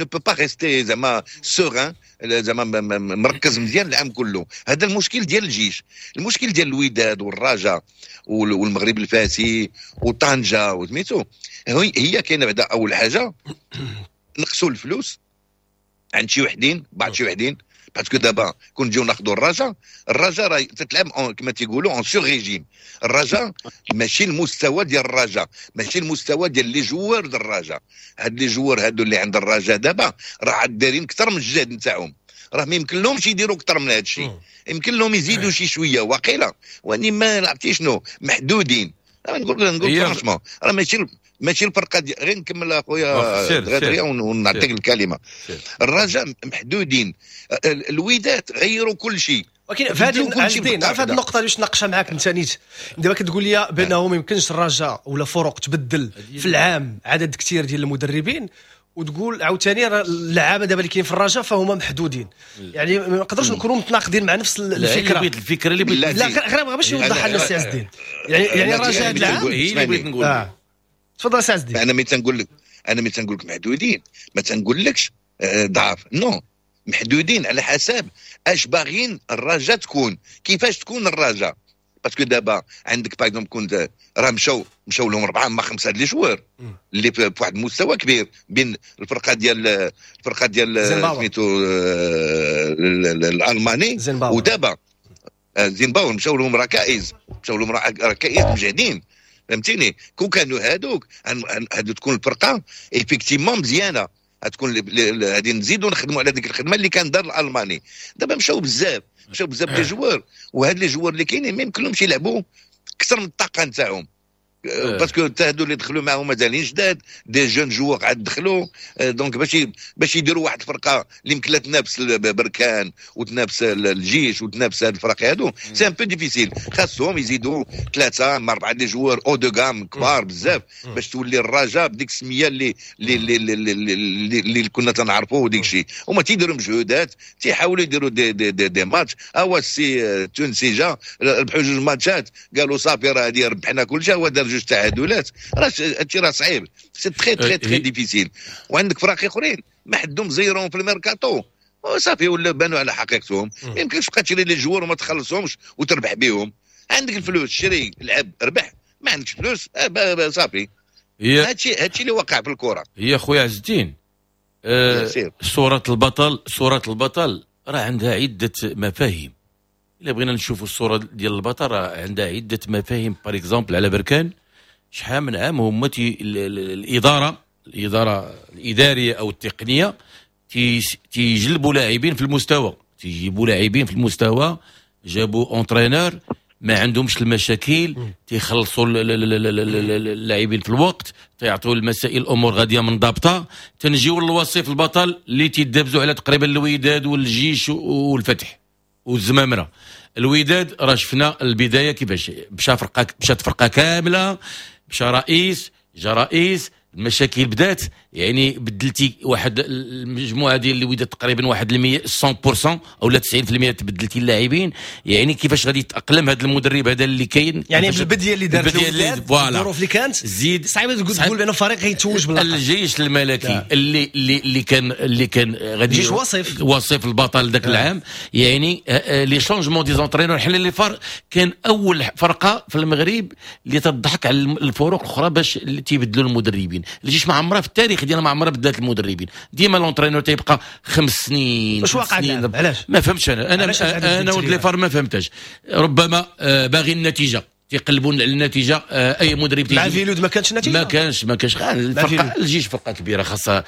Speaker 3: peut pas rester زعما serein، زعما مركز مزيان العام كله. هذا المشكل ديال الجيش. المشكل ديال الوداد والرجاء والمغرب الفاسي وطنجه وسميتو هي كاينه بعدا. اول حاجة نقصوا الفلوس عند شي وحدين، بعض شي وحدين، parce que دابا كون نجيو ناخذوا الرجاء، الرجاء راه تتلعب كما تيقولوا en sur-régime. الرجاء ماشي المستوى ديال الرجاء، ماشي المستوى ديال les joueurs ديال الرجاء. هاد les joueurs هادو اللي عند الرجاء دابا راه دايرين اكثر من الجهد نتاعهم، راه ما يمكن لهمش يديروا اكثر من هذا الشيء، يمكن لهم يزيدوا شي شوية واقيلا، واني ما عرفتي شنو محدودين. نقول franchement راه ماشي الفرقة دي. غير نكمل اخويا غادريا ونعطيك الكلمة. الرجاء محدودين، الوداد غيروا كل شيء.
Speaker 2: ولكن في هذه النقطة باش نناقشها معاك انت نيت، دابا كتقول لي بانه ما يمكنش الرجاء ولا فرق تبدل في العام عدد كثير ديال المدربين، وتقول عاوتاني اللعابه دابا اللي كاين في الرجاء فهما محدودين، يعني ما نقدروش نكونوا متناقضين مع نفس الفكرة.
Speaker 4: الفكرة اللي بغيت
Speaker 2: لا غير باش يوضحها لنا السي عز الدين، يعني الرجاء هذا العام
Speaker 4: هي اللي بغيت نقول.
Speaker 2: تفضل سي عز الدين.
Speaker 3: انا ملي تنقول لك محدودين، ما تنقولكش ضعف، non، محدودين على حسب اش باغيين الرجاء تكون، كيفاش تكون الرجاء. parce que دابا عندك par exemple كنت راه مشاو لهم 4 ما 5 les joueurs اللي في واحد المستوى كبير بين الفرقة ديال سميتو الالماني ودابا زيمباور، مشاو لهم ركائز، مجهدين، فهمتيني. كون كانوا هادوك هادو تكون الفرقة effectivement مزيانه، غتكون غادي نزيدوا نخدموا على ديك الخدمة اللي كان دار الالماني. دابا مشاو بزاف les joueurs، وهاد les joueurs اللي كاينين ما يمكنلهمش يلعبوا اكثر من الطاقة نتاعهم. parce que حتى هادو اللي دخلوا معاهم مازالين جداد، des jeunes joueurs عاد دخلوا، donc باش يديروا واحد الفرقة اللي يمكن تنافس بركان وتنافس الجيش وتنافس هاد الفرق هادو، c'est un peu difficile. خاصهم يزيدوا ثلاثة مع اربعة des joueurs haut de gamme كبار بزاف باش تولي الرجاء بديك السمية اللي كنا تنعرفوه وديك الشيء. هما تيديروا مجهودات، تيحاولوا يديروا des matchs. هو السي التونسي جا، ربحوا جوج ماتشات، قالوا صافي راه هادي ربحنا كل شيء، هو دار جوج تعادلات. راه هادشي راه صعيب، c'est très très très difficile. وعندك فراقي اخرين ما حدهم زيرون في الميركاتو صافي ولا بانوا على حقيقتهم. ما يمكنش تبقى تشري les joueurs وما تخلصهمش وتربح بهم. عندك الفلوس شري، لعب، ربح، ما عندكش فلوس صافي. هادشي اللي وقع في الكره.
Speaker 4: هي خويا عز الدين، صورة البطل، صورة البطل راه عندها عدة مفاهيم. الا بغينا نشوفوا الصورة ديال البطل راه عندها عدة مفاهيم. par exemple على بركان، شحال من عام هما الادارة الادارية او التقنية تيجلبوا لاعبين في المستوى، تيجيبوا لاعبين في المستوى، جابوا entraîneur، ما عندهمش المشاكل، تيخلصوا اللاعبين في الوقت، تيعطوا المسائل، الامور غادية منضبطة. تنجيو للوصيف البطل اللي تيدابزوا على تقريبا الوداد والجيش والفتح والزمامره. الوداد راه شفنا البداية كيفاش مشى، فرقه مشات، فرقه كاملة مشى، رئيس جا رئيس، المشاكل بدات. يعني بدلتي واحد المجموعة ديال الوداد تقريبا واحد 100% او لا 90% تبدلتي اللاعبين. يعني كيفاش غادي يتاقلم هذا المدرب هذا اللي كاين؟
Speaker 2: يعني بالبديه اللي دارت
Speaker 4: الوداد،
Speaker 2: الظروف اللي كانت،
Speaker 4: زيد
Speaker 2: صعيب تقول بان فريق غيتوج
Speaker 4: باللقب. الجيش الملكي اللي كان غادي
Speaker 2: جيش وصف
Speaker 4: وصف البطل ذاك العام، يعني les changements des entraîneurs، حنا les FAR كان اول فرقه في المغرب اللي تضحك على الفرق الاخرى باش تيبدلوا المدربين. الجيش ما عمرها في التاريخ ديالها ما عمرها بدلت المدربين، ديما l'entraîneur تيبقى 5 سنين.
Speaker 2: واش واقع؟ علاش؟
Speaker 4: ما فهمتش انا ولد les FAR ما فهمتش. ربما باغي النتيجه، تيقلبون على النتيجه، اي مدرب.
Speaker 2: مع فيلود ما كانش نتيجه.
Speaker 4: ما كانش. الفرقة الجيش فرقه كبيره، خاصها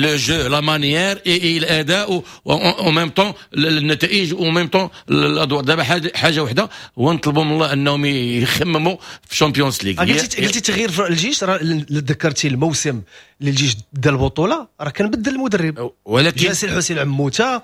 Speaker 4: le jeu، la manière، الاداء و même temps النتائج و même temps الادوار. دابا حاجة وحده هو نطلبوا من الله انهم يخمموا في Champions League.
Speaker 2: قلتي تغيير في الجيش، راه ذكرتي الموسم اللي الجيش دا البطوله، راه كان بدل المدرب.
Speaker 4: ولكن
Speaker 2: جا سي الحسين عموته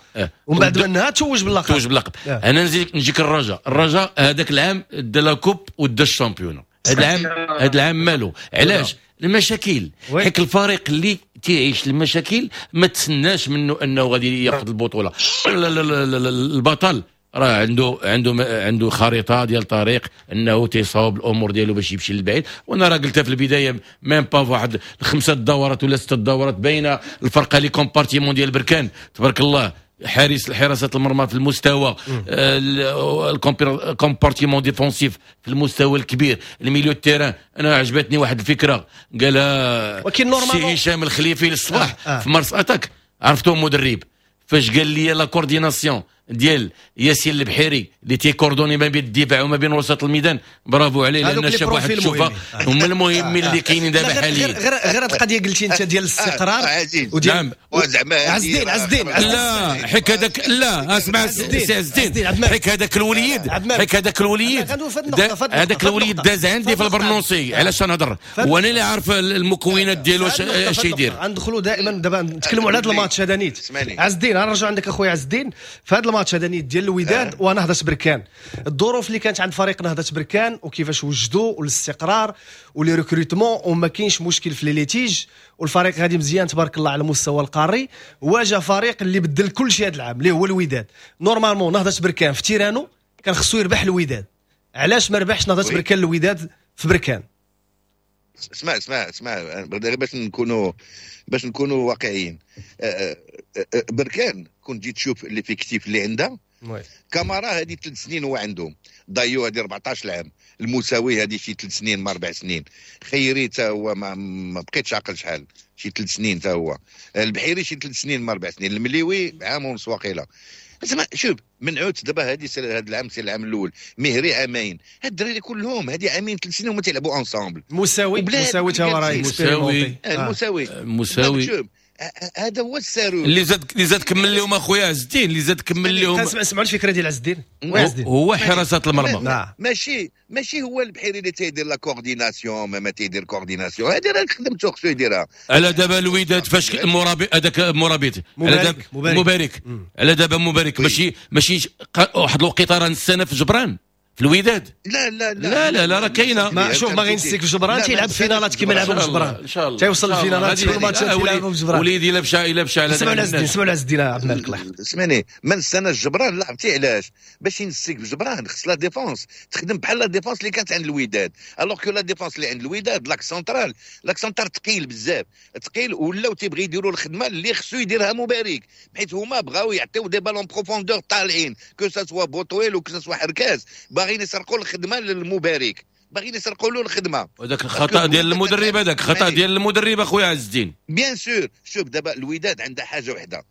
Speaker 2: ومن بعد منها توج باللقب.
Speaker 4: توج باللقب. انا نزيد نجيك الرجاء. الرجاء هذاك العام دا la coupe ودا ال championnat. هذا العام مالو؟ علاش المشاكل؟ حيت الفريق اللي تيعيش المشاكل ما تسناش منه انه غادي ياخذ البطوله. لا لا لا لا، البطل راه عنده خريطة ديال طريق انه تيصاوب الامور ديالو باش يمشي للبعيد. وانا راه قلتها في البدايه، même pas واحد الخمسة دورات ولا ستة دورات باينة الفرقه، les compartiments ديال بركان تبارك الله، حارس، حراسة المرمى في المستوى، ال compartiment défensif في المستوى الكبير، ال milieu terrain. انا عجبتني واحد الفكرة قالها
Speaker 2: ولكن normalement
Speaker 4: سي هشام الخليفي للصباح في Mars Attack، عرفتو مدرب، فاش قال لي la coordination ديال ياسين البحيري اللي تي coordonner ما بين الدفاع وما بين وسط الميدان، برافو عليه، لان شاف واحد الشوفه هما المهمين اللي كاينين دابا حاليا.
Speaker 2: غير هذه القضية قلتي انت ديال الاستقرار.
Speaker 4: وديال نعم.
Speaker 2: عز الدين، عز الدين.
Speaker 4: لا، حيت هذاك، لا اسمع سي عز الدين، حيت هذاك الوليد، حيت هذاك الوليد، هذاك الوليد داز عندي في البرنوسي. علاش نهضر وانا اللي عارف المكونات ديالو اش يدير.
Speaker 2: غندخلوا دائما دابا نتكلموا على هذا الماتش هذا نيت. عز الدين، غنرجعوا عندك اخويا عز الدين في هذا الماتش هذا نيت ديال الوداد ونهضه بركان، الظروف اللي كانت عند فريق نهضة بركان وكيفاش وجدوا والاستقرار و les recrutements وما كاينش مشكل في les litiges والفريق غادي مزيان تبارك الله على المستوى القاري. واجه فريق اللي بدل كل شيء هذا العام اللي هو الوداد. normalement نهضة بركان في terrain و كان خصو يربح الوداد. علاش ما ربحش نهضة بركان الوداد في بركان؟
Speaker 3: اسمع اسمع اسمع، باش نكونوا واقعيين، بركان كنت جيت تشوف l'effectif اللي عندها، كامارا هذه 3 سنين هو عندهم، دايو هذه 14 عام، المساوي هذه شي 3 سنين ما 4 سنين، خيري تا هو ما بقيتش عقل شحال، شي 3 سنين تا هو، البحيري شي 3 سنين ما 4 سنين، المليوي عام ونص واقيلا. زعما شوف منعوت دابا هذه هذا العام c'est العام الاول، مهري عامين، هاد الدراري كلهم هذه عامين 3 سنين هما تيلعبوا ensemble.
Speaker 2: مساوي، مساوي تا هو راه
Speaker 4: مساوي.
Speaker 3: المساوي.
Speaker 4: مساوي.
Speaker 3: شوف هذا هو الساروت
Speaker 4: اللي زاد كمل لهم اخويا عز الدين، اللي زاد كمل لهم.
Speaker 2: سمعوا الفكرة ديال عز الدين.
Speaker 4: هو حراسة المرمى.
Speaker 3: ماشي هو البحيري اللي تيدير la coordination، ما تيدير coordination، هذه راه خدمته خصو يديرها.
Speaker 4: على دابا الوداد فاش المرابط هذاك مرابط مبارك على دابا مبارك ماشي واحد الوقيته راه السنة في جبران في الوداد.
Speaker 3: لا لا لا
Speaker 4: لا لا راه كاينه.
Speaker 2: ما شوف ما غينسيك في جبران تيلعب فينالات كيما لعبوا في جبران.
Speaker 4: ان شاء الله
Speaker 2: تيوصل الفينالات في الماتشات تيلعبوا في جبران.
Speaker 4: وليدي الا مشى على
Speaker 2: سمعوا عز الدين عبد الملك الله يحفظك.
Speaker 3: سمعني من السنة جبران لعبتي علاش؟ باش ينسيك في جبران خص la défense تخدم بحال la défense اللي كانت عند الوداد، alors que la défense اللي عند الوداد l'axe central، l'axe central ثقيل بزاف، ثقيل ولاو تيبغي يديروا الخدمة اللي خصو يديرها مبارك، حيت هما بغاو يعطيو des ballons profondeur طالعين، que ce soit بوطويل و que ce soit حركاز، باغيين يسرقوا الخدمة للمبارك، باغيين يسرقوا له الخدمة.
Speaker 4: وهذاك الخطا ديال المدرب، هذاك خطا ديال المدرب اخويا عز الدين.
Speaker 3: bien sûr. شوف دابا الوداد عندها حاجة وحده،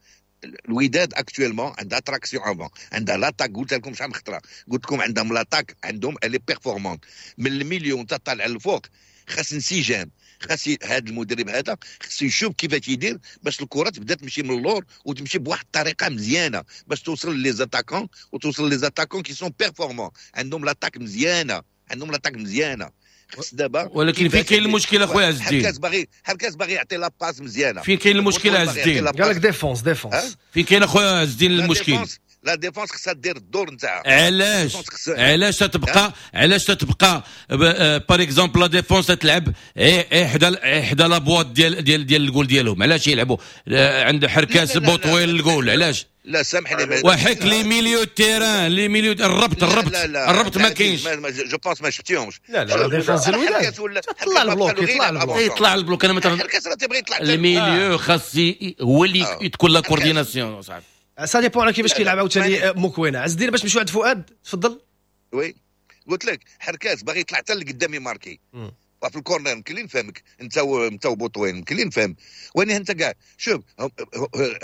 Speaker 3: الوداد actuellement عندها traction avant، عندها l'attaque، قلت لكم شحال من خطره، قلت لكم عندهم l'attaque، عندهم elle est performante من ال milieu انت طالع للفوق، خاص انسجام، خاص هذا المدرب هذا خاص يشوف كيفاش يدير باش الكره تبدا تمشي من اللور وتمشي بواحد الطريقة مزيانه باش توصل les attaquants، وتوصل les attaquants qui sont performants، عندهم l'attaque مزيانه، عندهم l'attaque مزيانه. خاص دابا
Speaker 4: ولكن فين كاين المشكل اخويا عز الدين؟
Speaker 3: حركاس باغي يعطي la passe مزيانه.
Speaker 4: فين كاين المشكل عز الدين؟
Speaker 2: قال لك défense.
Speaker 4: فين كاين اخويا عز الدين المشكل؟
Speaker 3: la défense خصها دير الدور نتاعها.
Speaker 4: علاش تتبقى، علاش تتبقى par exemple la défense تلعب حدا la boîte ديال ديال ديال الجول ديالهم؟ علاش يلعبوا عند حركاس بوطويل الجول؟ علاش؟
Speaker 3: لا سامحني،
Speaker 4: وحك les milieux terrain، les milieux الربط الربط ما كاينش.
Speaker 3: je pense ما شفتيهمش.
Speaker 2: لا لا défense الوداد طلع ال bloc، يطلع ال bloc،
Speaker 4: يطلع ال bloc. انا مثلا
Speaker 3: حركاس راه تيبغي يطلع
Speaker 4: ال milieu، خاص هو اللي تكون la coordination صاحبي.
Speaker 2: ça dépend على كيفاش كيلعب عاوتاني موكوينه. عز الدين باش نمشيو عند فؤاد، تفضل.
Speaker 3: oui قلت لك حركاس باغي يطلع حتى لقدام يماركي في ال corner، يمكن لي نفهمك انت وبوطوين، يمكن لي نفهم، وين انت كاع شوف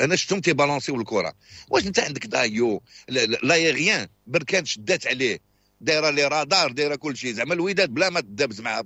Speaker 3: انا شفتهم تيبالونسيو الكره. واش انت عندك دايو l'aérien بركان شدات عليه، دايرة les radars، دايرة كل شيء، زعما الوداد بلا ما تدابز معها.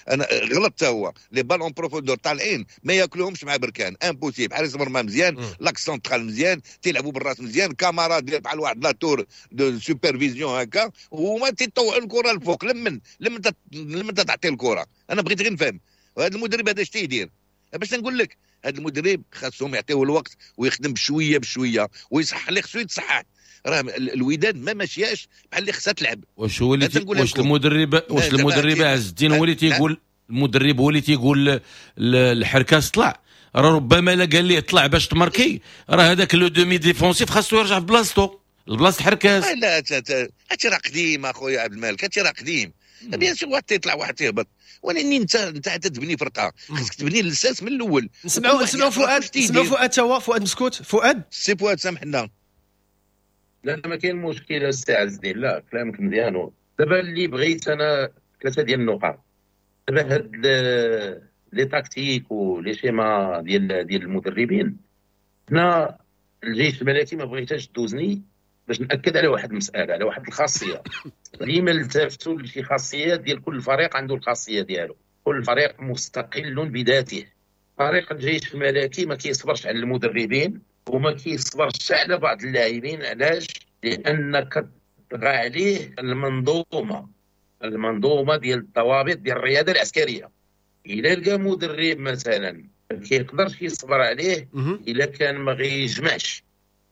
Speaker 3: انا غلطت، هو les ballons profondeur طالعين ما ياكلوهمش مع بركان، impossible. حارس مرمى مزيان، l'axe central مزيان، تيلعبوا بالراس مزيان، كاميرا دير بحال واحد la tour de supervision هكا، وهما تيطوعوا الكره الفوق. لمن تعطي الكره؟ انا بغيت غير نفهم هذا المدرب هذا اش تيدير. باش نقول لك هذا المدرب خاصهم يعطيوه الوقت ويخدم بشوية بشوية ويصحح اللي خصو يتصحح. راه الوداد ما ماشياش بحال اللي خصها تلعب.
Speaker 4: واش هو اللي واش المدرب، واش المدرب عز الدين هو اللي تيقول، المدرب هو اللي تيقول الحركاس طلع؟ راه ربما لا قال ليه طلع باش تماركي، راه هذاك le demi défensif خاصو يرجع في بلاصتو، البلاصة الحركاس.
Speaker 3: لا هادشي راه قديم اخويا عبد الملك، هادشي راه قديم. bien sûr واحد تيطلع واحد تيهبط، ولكن انت تبني فرقه، خاصك تبني الاساس من الاول.
Speaker 2: نسمعوا فؤاد، نسمعوا فؤاد تا هو، فؤاد مسكوت. فؤاد
Speaker 3: سي فؤاد سامحنا.
Speaker 6: لا ما كاين مشكل السي عز الدين، لا كلامك مزيان. دابا اللي بغيت انا ثلاثة ديال النقاط. دابا هاد les tactiques و les schémas ديال المدربين، حنا الجيش الملكي ما بغيتهاش دوزني باش ناكد على واحد المسالة، على واحد الخاصية. ديما التفتوا لشي خاصيات ديال كل فريق، عنده الخاصية ديالو، كل فريق مستقل بذاته. فريق الجيش الملكي ما كيصبرش على المدربين وما كيصبرش على بعض اللاعبين. علاش؟ لان كطغى عليه المنظومة ديال الضوابط ديال الرياضة العسكرية. الا لقى مدرب مثلا ما كيقدرش يصبر عليه، الا كان ما غيجمعش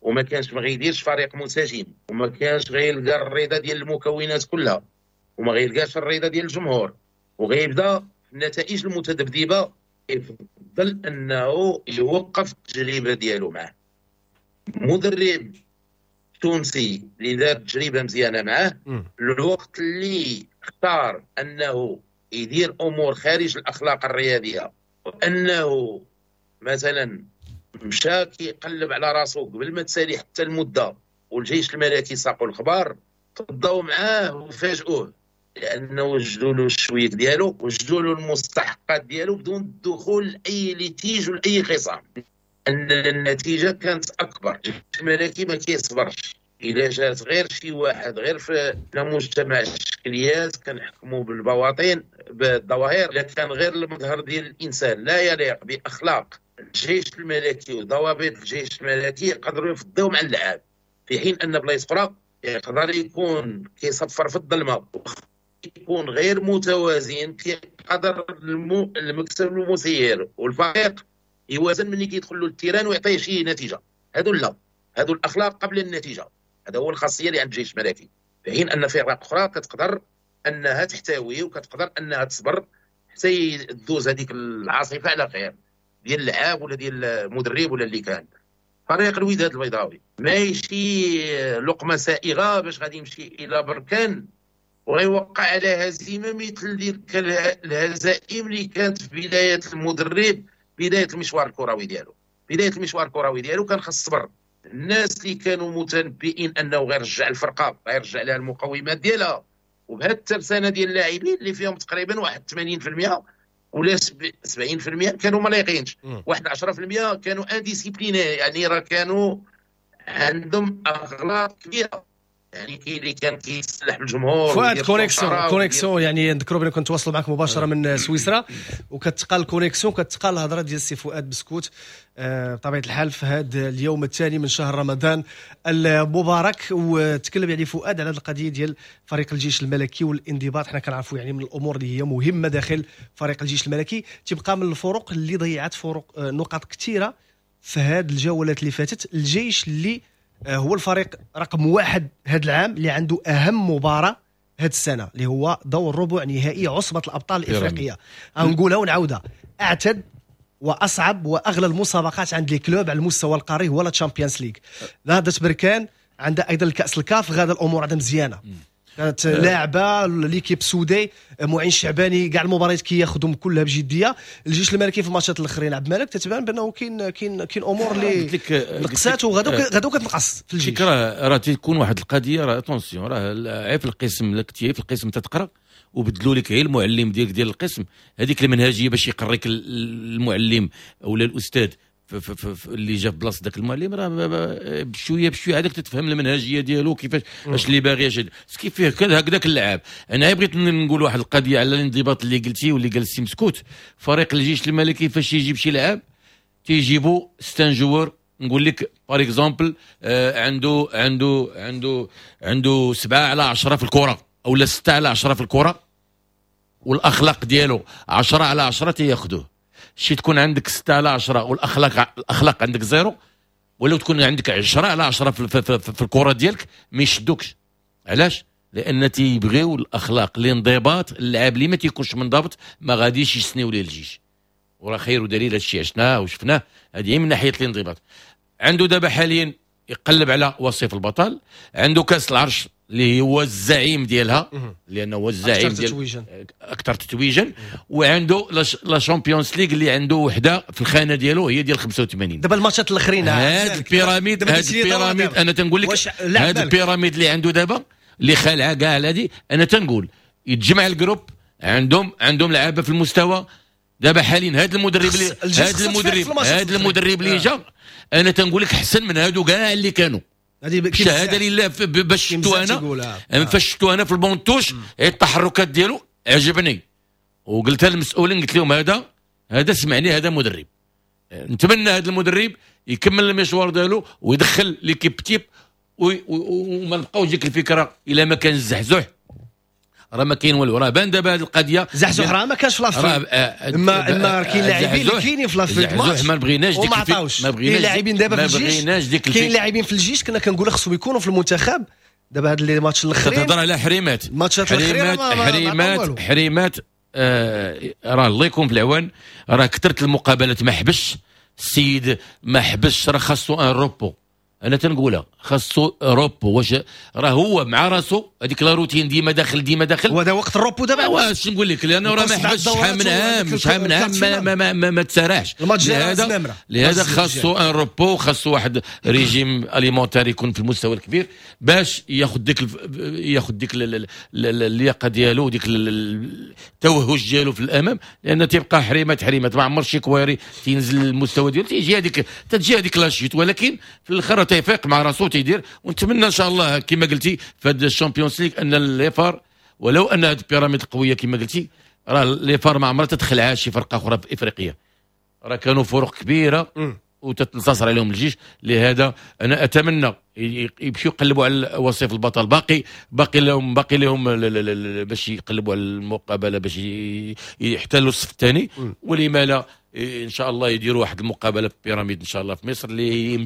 Speaker 6: وما كانش ما غيديرش فريق منسجم وما كانش غيلقى الرضا ديال المكونات كلها وما غيلقاش الرضا ديال الجمهور وغيبدا النتائج المتذبذبه، يفضل انه يوقف التجربة ديالو معاه. مدرب تونسي اللي دار تجربه مزيانه معاه، الوقت اللي اختار انه يدير امور خارج الاخلاق الرياضية، وانه مثلا مشى كيقلب على راسو قبل ما تسالي حتى المدة، والجيش الملكي ساقوا الخبار، تضاو معاه وفاجئوه، لانه وجدوا له الشويك ديالو، وجدوا له المستحقات ديالو بدون الدخول لاي litige ولا اي خصام. ان النتيجة كانت اكبر. الجيش الملكي ما كيصبرش، الا جات غير شي واحد غير في مجتمع الشكليات كنحكموا بالبواطن بالظواهر، الا كان غير المظهر ديال الانسان لا يليق باخلاق الجيش الملكي وضوابط الجيش الملكي يقدروا يفضيو مع اللعاب، في حين ان بلايص اخرى يقدر يكون كيصفر في الظلمة، يكون غير متوازن، كيقدر المكتب المسير والفريق يوازن ملي كيدخل له ال terrain ويعطيه شي نتيجة. هادو لا، هادو الاخلاق قبل النتيجة، هذا هو الخاصية اللي عند الجيش الملكي. في حين ان فرق اخرى كتقدر انها تحتوي وكتقدر انها تصبر حتى تدوز هذيك العاصفة على خير ديال اللعاب ولا ديال المدرب ولا اللي كان. فريق الوداد البيضاوي ماشي لقمة سائغة باش غادي يمشي الى بركان وغيوقع على هزيمة مثل ديك الهزائم اللي كانت في بداية المدرب، بداية المشوار الكروي ديالو. بداية المشوار الكروي ديالو كان خاص الصبر. الناس اللي كانوا متنبئين انه غيرجع الفرقة، غيرجع لها المقومات ديالها، وبهذه الترسانه ديال اللاعبين اللي فيهم تقريبا واحد 80% ولا 70% كانوا ما لايقينش، واحد 10% كانوا indisciplinés، يعني راه كانوا عندهم اغلاط كبيرة. يعني كاين اللي كان كيسلح بالجمهور.
Speaker 2: فؤاد connexion يعني نذكروا بان كنتواصلوا معك مباشرة من سويسرا، وكتقال connexion، كتقال الهضرة ديال السي فؤاد بسكوت بطبيعة الحال في هذا اليوم الثاني من شهر رمضان المبارك. وتكلم يعني فؤاد على هذه القضية ديال فريق الجيش الملكي والانضباط. حنا كنعرفوا يعني من الامور اللي هي مهمة داخل فريق الجيش الملكي، تبقى من الفرق اللي ضيعت فرق نقاط كثيرة في هذه الجولات اللي فاتت. الجيش اللي هو الفريق رقم 1 هذا العام، اللي عنده أهم مباراة هذه السنة اللي هو دور ربع نهائي عصبة الأبطال الإفريقية. نقولها ونعاودها، أعتد وأصعب وأغلى المسابقات عند les clubs على المستوى القاري هو la Champions League. نهضة بركان عندها أيضا الكأس الكاف، غادا الأمور عندها مزيانة، كانت لاعبه l'équipe soudée، معين الشعباني كاع المباريات كياخذهم كلها بجدية. الجيش الملكي في الماتشات الاخرين عبد الملك تتبان بانه كاين امور اللي نقصات وغادو كتنقص في الجيش.
Speaker 4: راه تيكون واحد القضية، راه attention، راه عيب في القسم، لا كنتي في القسم تتقرا وبدلوا لك غير المعلم ديالك ديال القسم، هذيك المنهجية باش يقريك المعلم ولا الاستاذ اللي جا في بلاصة ذاك المعلم، راه بشوية بشوية عادك تتفهم المنهجية ديالو كيفاش، اش اللي باغي، اش كيف فيه هكذاك اللعاب. انا بغيت نقول واحد القضية على الانضباط اللي قلتي واللي قال السي مسكوت. فريق الجيش الملكي فاش يجيب شي لعاب تيجيبوا c'est un joueur، نقول لك par exemple عنده عنده عنده عنده 7/10 في الكره او لا 6/10 في الكره، والاخلاق ديالو 10/10 تياخذوه. شي تكون عندك 6/10 والاخلاق الاخلاق عندك zéro، ولو تكون عندك 10/10 في الكره ديالك ما يشدوكش. علاش؟ لان تيبغيو الاخلاق، الانضباط. اللاعب اللي ما تيكونش منضبط ما غاديش يسنيو ليه الجيش، وراه خير ودليل هادشي عشناه وشفناه. هذه من ناحية الانضباط. عنده دابا حاليا يقلب على وصيف البطل، عنده كاس العرش اللي هو الزعيم ديالها، لانه هو الزعيم ديال اكثر تتويجا، وعنده la Champions League اللي عنده وحده في الخانة ديالو هي ديال 85.
Speaker 2: دابا الماتشات الاخرين
Speaker 4: هاد ال pyramide، هاد ال pyramide انا تنقول لك هاد ال pyramide اللي عنده دابا اللي خالعه كاع هادي، انا تنقول يتجمع ال groupe، عندهم لعابه في المستوى. دابا حاليا هاد المدرب هاد المدرب اللي جا، انا تنقول لك احسن من هادو كاع اللي كانوا. شهادة لله باش شفتو انا، فاش شفتو انا في ال banc de touche التحركات ديالو عجبني، وقلتها للمسؤولين، قلت لهم هذا سمعني، هذا مدرب. نتمنى هذا المدرب يكمل المشوار ديالو ويدخل l'équipe type، وما نبقاوش ديك الفكرة الا ما كان الزحزح راه ما كاين والو. راه بان دابا هذه القضية
Speaker 2: زحزح راه ما كانش في l'Afrique، اما كاين لاعبين اللي كاينين في l'Afrique
Speaker 4: زحزح ما بغيناش ديك،
Speaker 2: ما بغيناش لاعبين دابا في الجيش، كاين لاعبين في الجيش كنا كنقولوا خصهم يكونوا في المنتخب. دابا هاد les matchs الاخرين
Speaker 4: تهضر على حريمات،
Speaker 2: الماتشات الاخرين
Speaker 4: حريمات راه الله يكون في العوان، راه كثرت المقابلات ما حبش السيد، ما حبش، راه خاصو un repos. انا تنقولها خاصو repos، واش راه هو مع راسو هذيك la routine ديما داخل ديما داخل،
Speaker 2: وهذا وقت ال repos دابا.
Speaker 4: واش نقول لك، لانه راه ما حبش شحال من عام، شحال من عام ما ما ما, ما, ما تسارعش. لهذا خاصو un repos، خاصو واحد régime alimentaire يكون في المستوى الكبير باش ياخذ ديك اللياقة ديالو وديك التوهج ديالو في الامام، لان تيبقى حريمات حريمات ما عمر شي كواري تينزل المستوى ديالو، تجي هذيك la chute، ولكن في الاخر تيفيق مع راسو تيدير. ونتمنى ان شاء الله كما قلتي في هذا ال Champions League ان les FAR، ولو ان هذه ال pyramide قوية كما قلتي، راه les FAR ما عمرها تدخلها شي فرقه اخرى في افريقيا. راه كانوا فرق كبيرة وتتنتصر عليهم الجيش. لهذا انا اتمنى يمشيو يقلبوا على وصيف البطل، باقي لهم باش يقلبوا على المقابلة باش يحتلوا الصف الثاني، ولما لا ان شاء الله يديروا واحد المقابلة في بيراميد ان شاء الله في مصر، اللي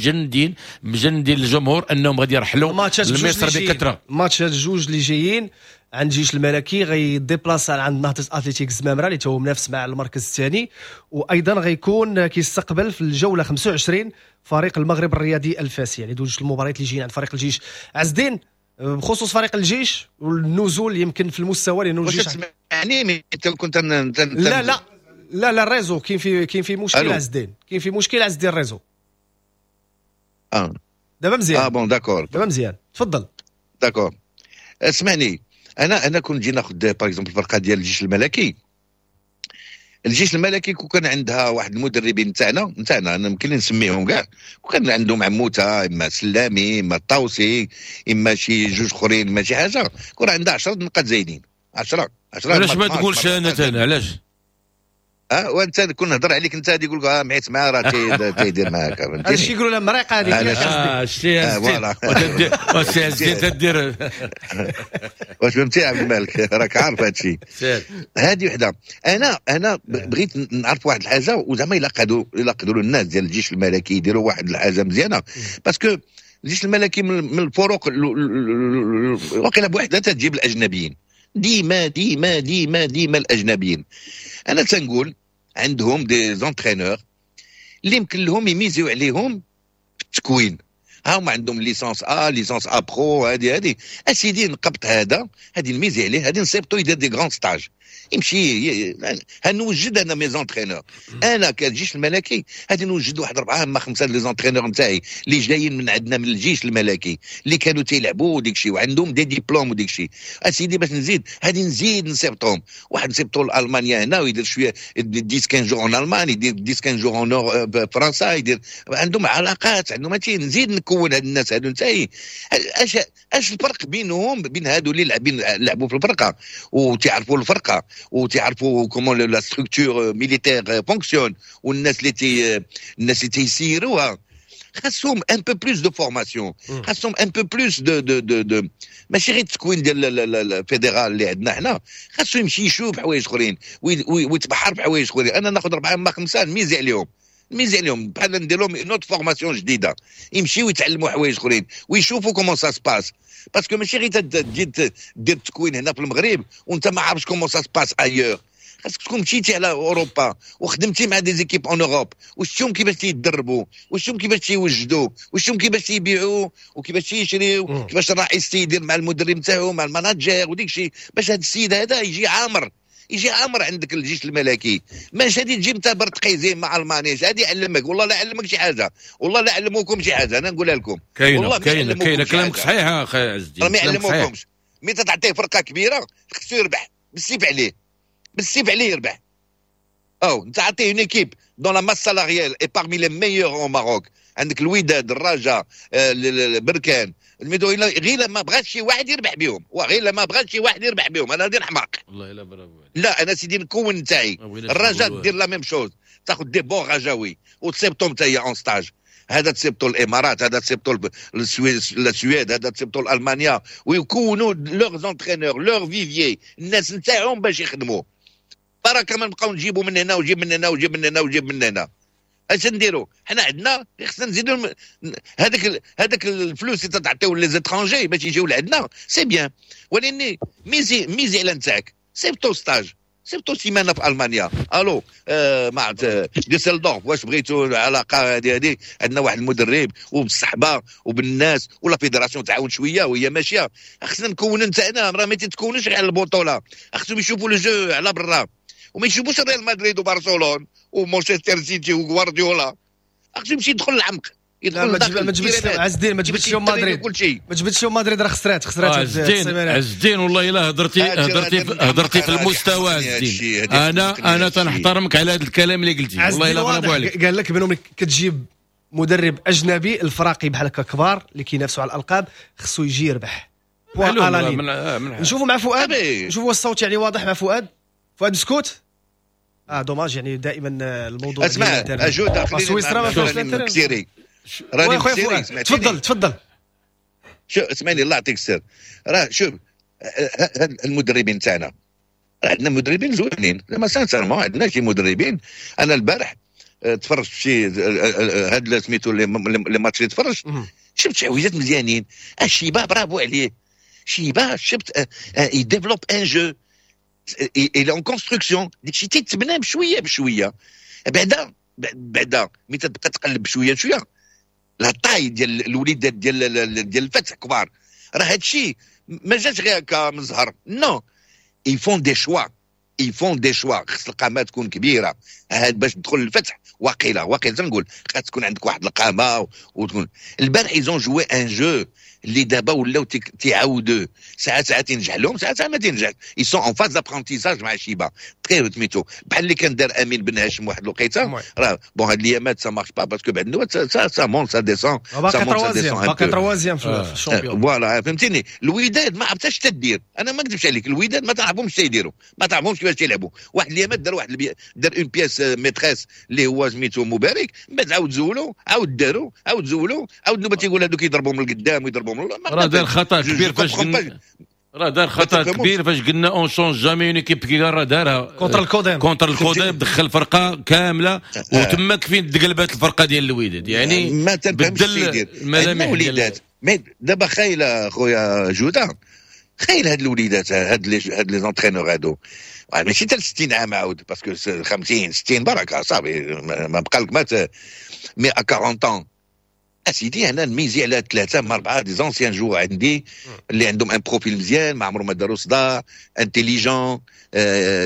Speaker 4: مجندين الجمهور انهم غادي يرحلوا لمصر بكثرة.
Speaker 2: ماتشات جوج اللي جايين عند الجيش الملكي غيديبلاصا عند نهضة اتلتيك زمامرة اللي هو منافس مع المركز الثاني، وايضا غيكون كيستقبل في الجولة 25 فريق المغرب الرياضي الفاسي. يعني دوج المباريات اللي جايين عند فريق الجيش. عز الدين، بخصوص فريق الجيش والنزول يمكن في المستوى، لانه الجيش
Speaker 3: يعني كنت
Speaker 2: لا لا لا لا ال réseau كاين في مشكل عز الدين، كاين في مشكل عز الدين ال réseau. دابا مزيان.
Speaker 3: bon d'accord،
Speaker 2: دابا مزيان، تفضل.
Speaker 3: d'accord، اسمعني، انا كنت نجي ناخذ par exemple الفرقة ديال الجيش الملكي. الجيش الملكي كون كان عندها واحد المدربين نتاعنا انا يمكن نسميهم كاع، كون كان عندهم عموتة، اما سلامي، اما الطاوسي، اما شي جوج اخرين، اما شي حاجة، كون عندها 10 نقاط زايدين. 10
Speaker 4: علاش ما تقولش انا علاش؟
Speaker 3: وانت كون نهضر عليك انت غادي يقول لك معيت معاه راه تيدير معاك، فهمتيني؟
Speaker 2: هادشي يقولوا لها مريقه هذيك.
Speaker 4: شتي voilà سي تدير.
Speaker 3: واش فهمتي عبد الملك؟ راك عارف هادشي. هذه وحده. انا بغيت نعرف واحد الحاجة، وزعما الا قدروا الناس ديال الجيش الملكي يديروا واحد الحاجة مزيانه، parce que الجيش الملكي من الفرق واقيلا بوحدها تجيب الاجنبيين ديما ديما ديما ديما الاجنبيين. انا تنقول عندهم des entraîneurs اللي يمكن لهم يميزيو عليهم في التكوين. ها هما عندهم licence A، licence A pro، هادي اسيدي نقبط هذا، هادي نميزي عليه، هادي نصيبطو يدير des grands stages، يمشي. هنوجد انا mes entraîneurs، انا كالجيش الملكي هادي نوجد واحد 4 اما 5 les entraîneurs نتاعي اللي جايين من عندنا من الجيش الملكي، اللي كانوا تيلعبوا وديك الشيء وعندهم des diplômes وديك الشيء. اسيدي باش نزيد هادي نزيد نصيبطهم، واحد نصيبطو لالمانيا هنا ويدير شوية 10 15 jours en Allemagne، يدير 10 15 jours en فرنسا، يدير عندهم علاقات، عندهم هادشي. نزيد نكون هاد الناس هادو نتاعي. اش الفرق بينهم بين هادو اللي لعبوا في الفرقة وتعرفوا الفرقة وتعرفوا comment la structure militaire fonctionne، والناس اللي الناس اللي تيسيروها خاصهم un peu plus de formation، خاصهم un peu plus de de de de ماشي غير التكوين ديال ال fédéral اللي عندنا حنا، خاصو يمشي يشوف حوايج اخرين ويتبحر في حوايج اخرين. انا ناخذ 4 اما 5 نميزي عليهم، نميزي عليهم بحال ندير لهم une autre formation جديدة، يمشيو يتعلموا حوايج اخرين ويشوفوا comment ça se passe، parce que ماشي غير تجي دير التكوين هنا في المغرب وانت ما عارفش comment ça se passe ailleurs. خاصك تكون مشيتي على اوروبا وخدمتي مع des équipes en Europe، وشفتهم كيفاش تيدربوا، وشفتهم كيفاش تيوجدوا، وشفتهم كيفاش تيبيعوا وكيفاش تيشريو، كيفاش الرئيس تيدير مع المدرب تاعو مع ال manager وديك الشيء، باش هذا السيد هذا يجي عامر، يجي عامر عندك الجيش الملكي. ماش هادي تجيب انت برتقيزي مع المانيش، هادي يعلمك والله لا علمك شي حاجة، والله لا علموكم شي حاجة، انا نقولها لكم
Speaker 4: كاينه كاينه كاينه. كلامك صحيح اخي عز الدين،
Speaker 3: ما يعلموكمش. mais تعطيه فرقه كبيرة خصو يربح بالسيف عليه، بالسيف عليه يربح. او انت عطية une équipe dont la masse salariale est parmi les meilleures au Maroc، عندك الوداد، الرجاء، بركان، الميدو، غير ما بغاش شي واحد يربح بهم، وغير ما بغاش شي واحد يربح بهم. انا غادي نحماق
Speaker 4: والله الا برافو.
Speaker 3: لا انا سيدي نكون نتاعي الرجاء دير la même chose، تاخذ des bons رجاوي وتصيبطهم حتى هي en stage، هذا تصيبطوا الامارات، هذا تصيبطوا السويد، هذا تصيبطوا المانيا، ويكونوا leurs entraîneurs، leur vivier، الناس نتاعهم باش يخدموا. بركة ما نبقاو نجيبوا من هنا وجيب من هنا وجيب من هنا وجيب من هنا. اش نديروا حنا؟ عندنا خصنا نزيدوا هذاك الفلوس اللي تعطيو les étrangers باش يجيو لعندنا، c'est bien، ولكن miser على نتاعك. سيبتو stage، سيبتو سيمانه في المانيا، الو مع ديسلدورف، واش بغيتو العلاقة هذه؟ عندنا واحد المدرب وبالصحبه وبالناس و la fédération تعاون شوية وهي ماشية. خصنا نكون نتاعنا، راه ما تتكونش غير على البطولة، خصهم يشوفوا le jeu على برا وما يشوفوش ريال مدريد وبرشلونة ومانشستر سيتي وغوارديولا. خصو يمشي يدخل العمق،
Speaker 2: يدخل. ما تجبدش عز الدين، ما تجبدش يوم مدريد، ما تجبدش يوم مدريد، راه خسرات
Speaker 4: عز الدين. والله الا هضرتي في المستوى عز الدين. انا تنحترمك على هذا الكلام اللي قلتي، والله الا برافو عليك.
Speaker 2: قال لك بانهم كتجيب مدرب اجنبي الفراقي بحال هكا كبار اللي كينافسوا على الالقاب خصو يجي يربح. نشوفوا مع فؤاد، نشوفوا الصوت يعني واضح مع فؤاد. فؤاد مسكوت. dommage، يعني دائما الموضوع.
Speaker 3: اسمع اجوده،
Speaker 2: سويسرا ما فيهاش.
Speaker 3: راني راني
Speaker 2: مكسيري. تفضل تفضل.
Speaker 3: شوف اسمعني، الله يعطيك السر. راه شوف المدربين تاعنا، عندنا مدربين زوينين زعما، sincèrement عندنا شي مدربين. انا البارح تفرجت في شي هاد سميتو les matchs اللي تفرجت، شفت شي حويجات مزيانين. الشيبة برافو عليه شيبه، شفت il développe un jeu، il est en construction، داكشي تيتبنى بشوية بشويه. بعدا بعدا ملي تبقى تقلب بشوية بشويه، la taille ديال الوليدات ديال الفتح كبار. راه هادشي ما جاش غير هكا من زهر، non، ils font des choix، ils font des choix. خص القامة تكون كبيره. هاد باش تدخل الفتح واقيلا واقيلا تنقول خاص تكون عندك واحد القامه. وتكون البارح ils ont joué un jeu اللي دابا ولاو تيعاودوا، ساعات ساعات ينجح لهم، ساعات ساعات ما تنجح. ils sont en phase d'apprentissage مع شيبا très سميتو، بحال اللي كان دار امين بن هاشم واحد الوقيته. راه bon هاد الايامات ça marche pas parce que بعد النوبات ça monte، ça descend.
Speaker 2: باقي troisième، باقي troisième في ال championnat.
Speaker 3: voilà، فهمتيني؟ الوداد ما عرفتش تدير. انا ما نكذبش عليك، الوداد ما تعرفهمش تيديروا، ما تعرفهمش كيفاش تيلعبوا. واحد الايامات دار واحد دار une pièce maîtresse اللي هو سميتو مبارك، من بعد عاود زولو، عاود داروا، عاود زولو، عاود نوبه تيقول هذوك يضربوا من القدام ويضربوا من
Speaker 4: راه دار خطا كبير فاش قلنا، راه دار خطا كبير فاش قلنا on change jamais une équipe. كي راه دارها
Speaker 2: contre الكوديم.
Speaker 4: contre الكوديم دخل فرقه كامله، وتماك فين تقلبات الفرقة ديال الوداد، يعني
Speaker 3: ما بدل
Speaker 4: الملامح.
Speaker 3: الوليدات mais دابا خايله خويا جوده، خايل هاد الوليدات، هاد les entraîneurs هادو ماشي حتى 60 عام عاود، parce que 50 60 بركة صافي، ما بقى لك ما mais 40 ans اسيدي. انا نميزي على ثلاثة من اربعة des anciens joueurs عندي اللي عندهم un profil مزيان، ما عمرهم ما داروا صداع، intelligents،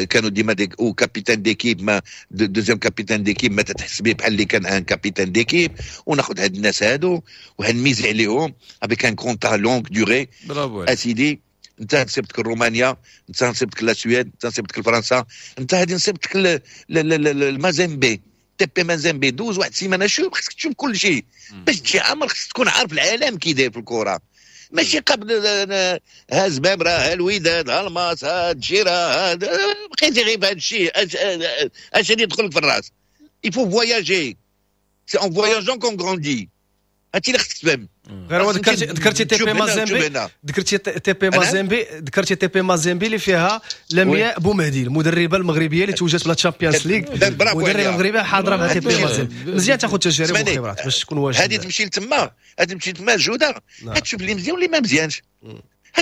Speaker 3: كانوا ديما des ou capitaines d'équipe، ما deuxième capitaine d'équipe، ما تتحس به بحال اللي كان un capitaine d'équipe. وناخذ هاد الناس هادو وهنميزي عليهم avec un contrat longue durée. اسيدي انت نسيبتك رومانيا، انت نسيبتك la Suède، انت نسيبتك فرنسا، انت هادي نسيبتك المازيمبي، تي بي مازيمبي، دوز واحد السيمانه. شوف، خصك تشوف كل شيء باش تجي عامر، خصك تكون عارف العالم كي داير في الكره، ماشي قبل ها زبابره، ها الوداد، ها الماس، ها الجيره، ها بقيتي غير بهذا الشيء. اش اللي يدخلك في الراس؟ il faut voyager، c'est en voyageant qu'on grandit. هادشي اللي خصك تفهم.
Speaker 2: غير هو ذكرتي تي بي مازيمبي، ذكرتي تي بي مازيمبي، ذكرتي تي بي مازيمبي اللي فيها لمياء بومهدي، المدربه المغربية اللي توجت ب la Champions League، المدربه المغربية حاضره مع تي بي مازيمبي. مزيان تاخذ تجارب وخبرات باش تكون واجد.
Speaker 3: هذه تمشي لتما، هذه تمشي تما جوده، تشوف اللي مزيان واللي ما مزيانش.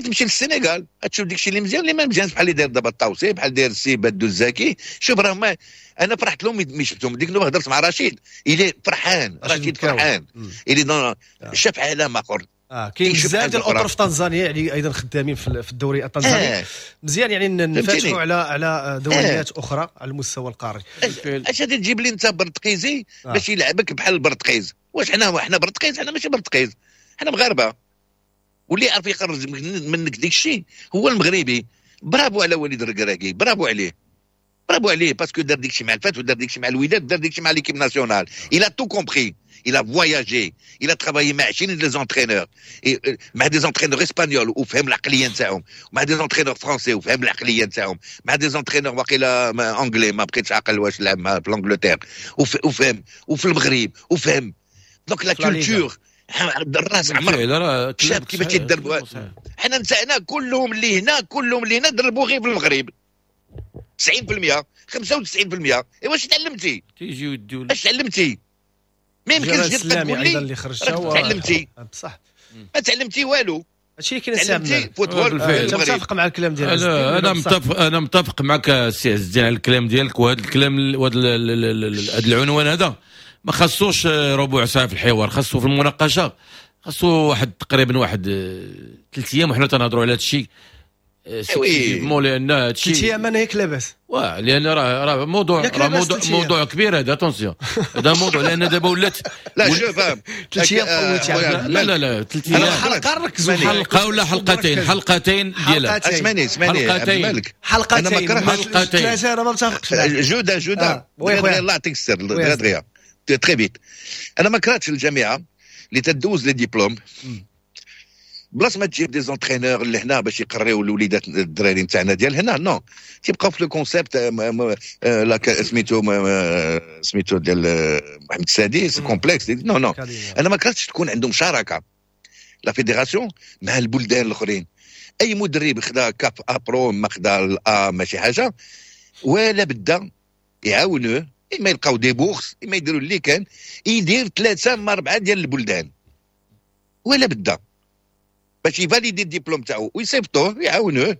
Speaker 3: تمشي للسنغال تشوف داكشي اللي مزيان واللي ما مزيانش، بحال اللي داير دابا الطاوسي، بحال داير السي بدو الزكي. شوف راه ما انا فرحت لهم ملي شفتهم ديك النوبه. هضرت مع رشيد، il est فرحان، رشيد فرحان، il est شاف عالم اخر.
Speaker 2: كاين بزاف ديال الاطر في تنزانيا، يعني ايضا خدامين في الدوري التنزاني. مزيان يعني نفتحوا على دوريات اخرى على المستوى القاري.
Speaker 3: اش غادي تجيب لي انت برتقيزي باش يلعبك بحال البرتقيز؟ واش حنا برتقيز؟ حنا ماشي برتقيز، حنا مغاربه، واللي يعرف يخرج منك ديك الشيء هو المغربي. برافو على وليد الركراكي، برافو عليه، برافو عليه، parce que دار ديك الشيء مع الفتح ودار ديك الشيء مع الوداد، دار ديك الشيء مع l'équipe nationale. il a tout compris، il a voyagé، il a travaillé مع 20 des entraîneurs، مع des entraîneurs espagnols وفهم العقلية نتاعهم، مع des entraîneurs français وفهم العقلية نتاعهم، مع des entraîneurs واقيلا anglais، ما بقيتش عاقل واش لعب مع في l'Angleterre، وفهم، وفي المغرب وفهم. donc la culture الراس عمر شاب كيفاش تيدربوا. حنا نتاعنا كلهم اللي هنا، كلهم اللي هنا دربوا غير في المغرب، 90%، 95%. ايوا واش تعلمتي؟
Speaker 4: تيجيو يديو.
Speaker 3: اش تعلمتي؟ ما يمكنش
Speaker 2: تقول لي اللي خرج
Speaker 3: تعلمتي.
Speaker 2: بصح
Speaker 3: ما تعلمتي والو.
Speaker 2: هادشي اللي كاين.
Speaker 3: football.
Speaker 2: انت متفق مع الكلام ديالك؟
Speaker 4: انا متفق معك سي عز الدين على الكلام ديالك، وهذا الكلام وهذا العنوان هذا ما خصوش ربع ساعة في الحوار، خصو في المناقشه، خصو واحد تقريبا واحد 3 ايام وحنا تنهضروا على هذا الشيء.
Speaker 3: oui
Speaker 4: لان هذا الشيء
Speaker 2: 3 ايام انا ياك لاباس.
Speaker 4: واه، لان راه موضوع، راه موضوع كبير هذا. attention، هذا موضوع لان دابا ولات
Speaker 3: لا شوف
Speaker 2: 3 ايام طولت.
Speaker 4: لا لا لا، 3 ايام
Speaker 2: حلقة ركزوا.
Speaker 4: حلقة ولا حلقتين، حلقتين ديالها.
Speaker 3: اسمعني اسمعني.
Speaker 4: حلقتين.
Speaker 2: حلقتين.
Speaker 4: حلقتين.
Speaker 2: ثلاثة انا ما متفقش.
Speaker 3: جوده جوده، الله يعطيك السر، دغيا دغيا، très vite. انا ما كرهتش الجامعة اللي تدوز les diplômes. بلاص ما تجيب des entraîneurs اللي هنا باش يقريو الوليدات الدراري نتاعنا ديال هنا، non، تيبقاو في le concept لا سميتو ديال محمد السادس complexe. non non، انا ما كرهتش تكون عندهم شراكة la fédération مع البلدان الاخرين. اي مدرب خدا CAF A pro ما خدا ال A ماشي حاجه، ولا بدا يعاونوه، اما يلقاو des bourses، اما يديروا اللي كان، يدير ثلاثة ما اربعة ديال البلدان ولا بدا باش ي valider الدبلوم تاعو ويصيفطوه، يعاونوه،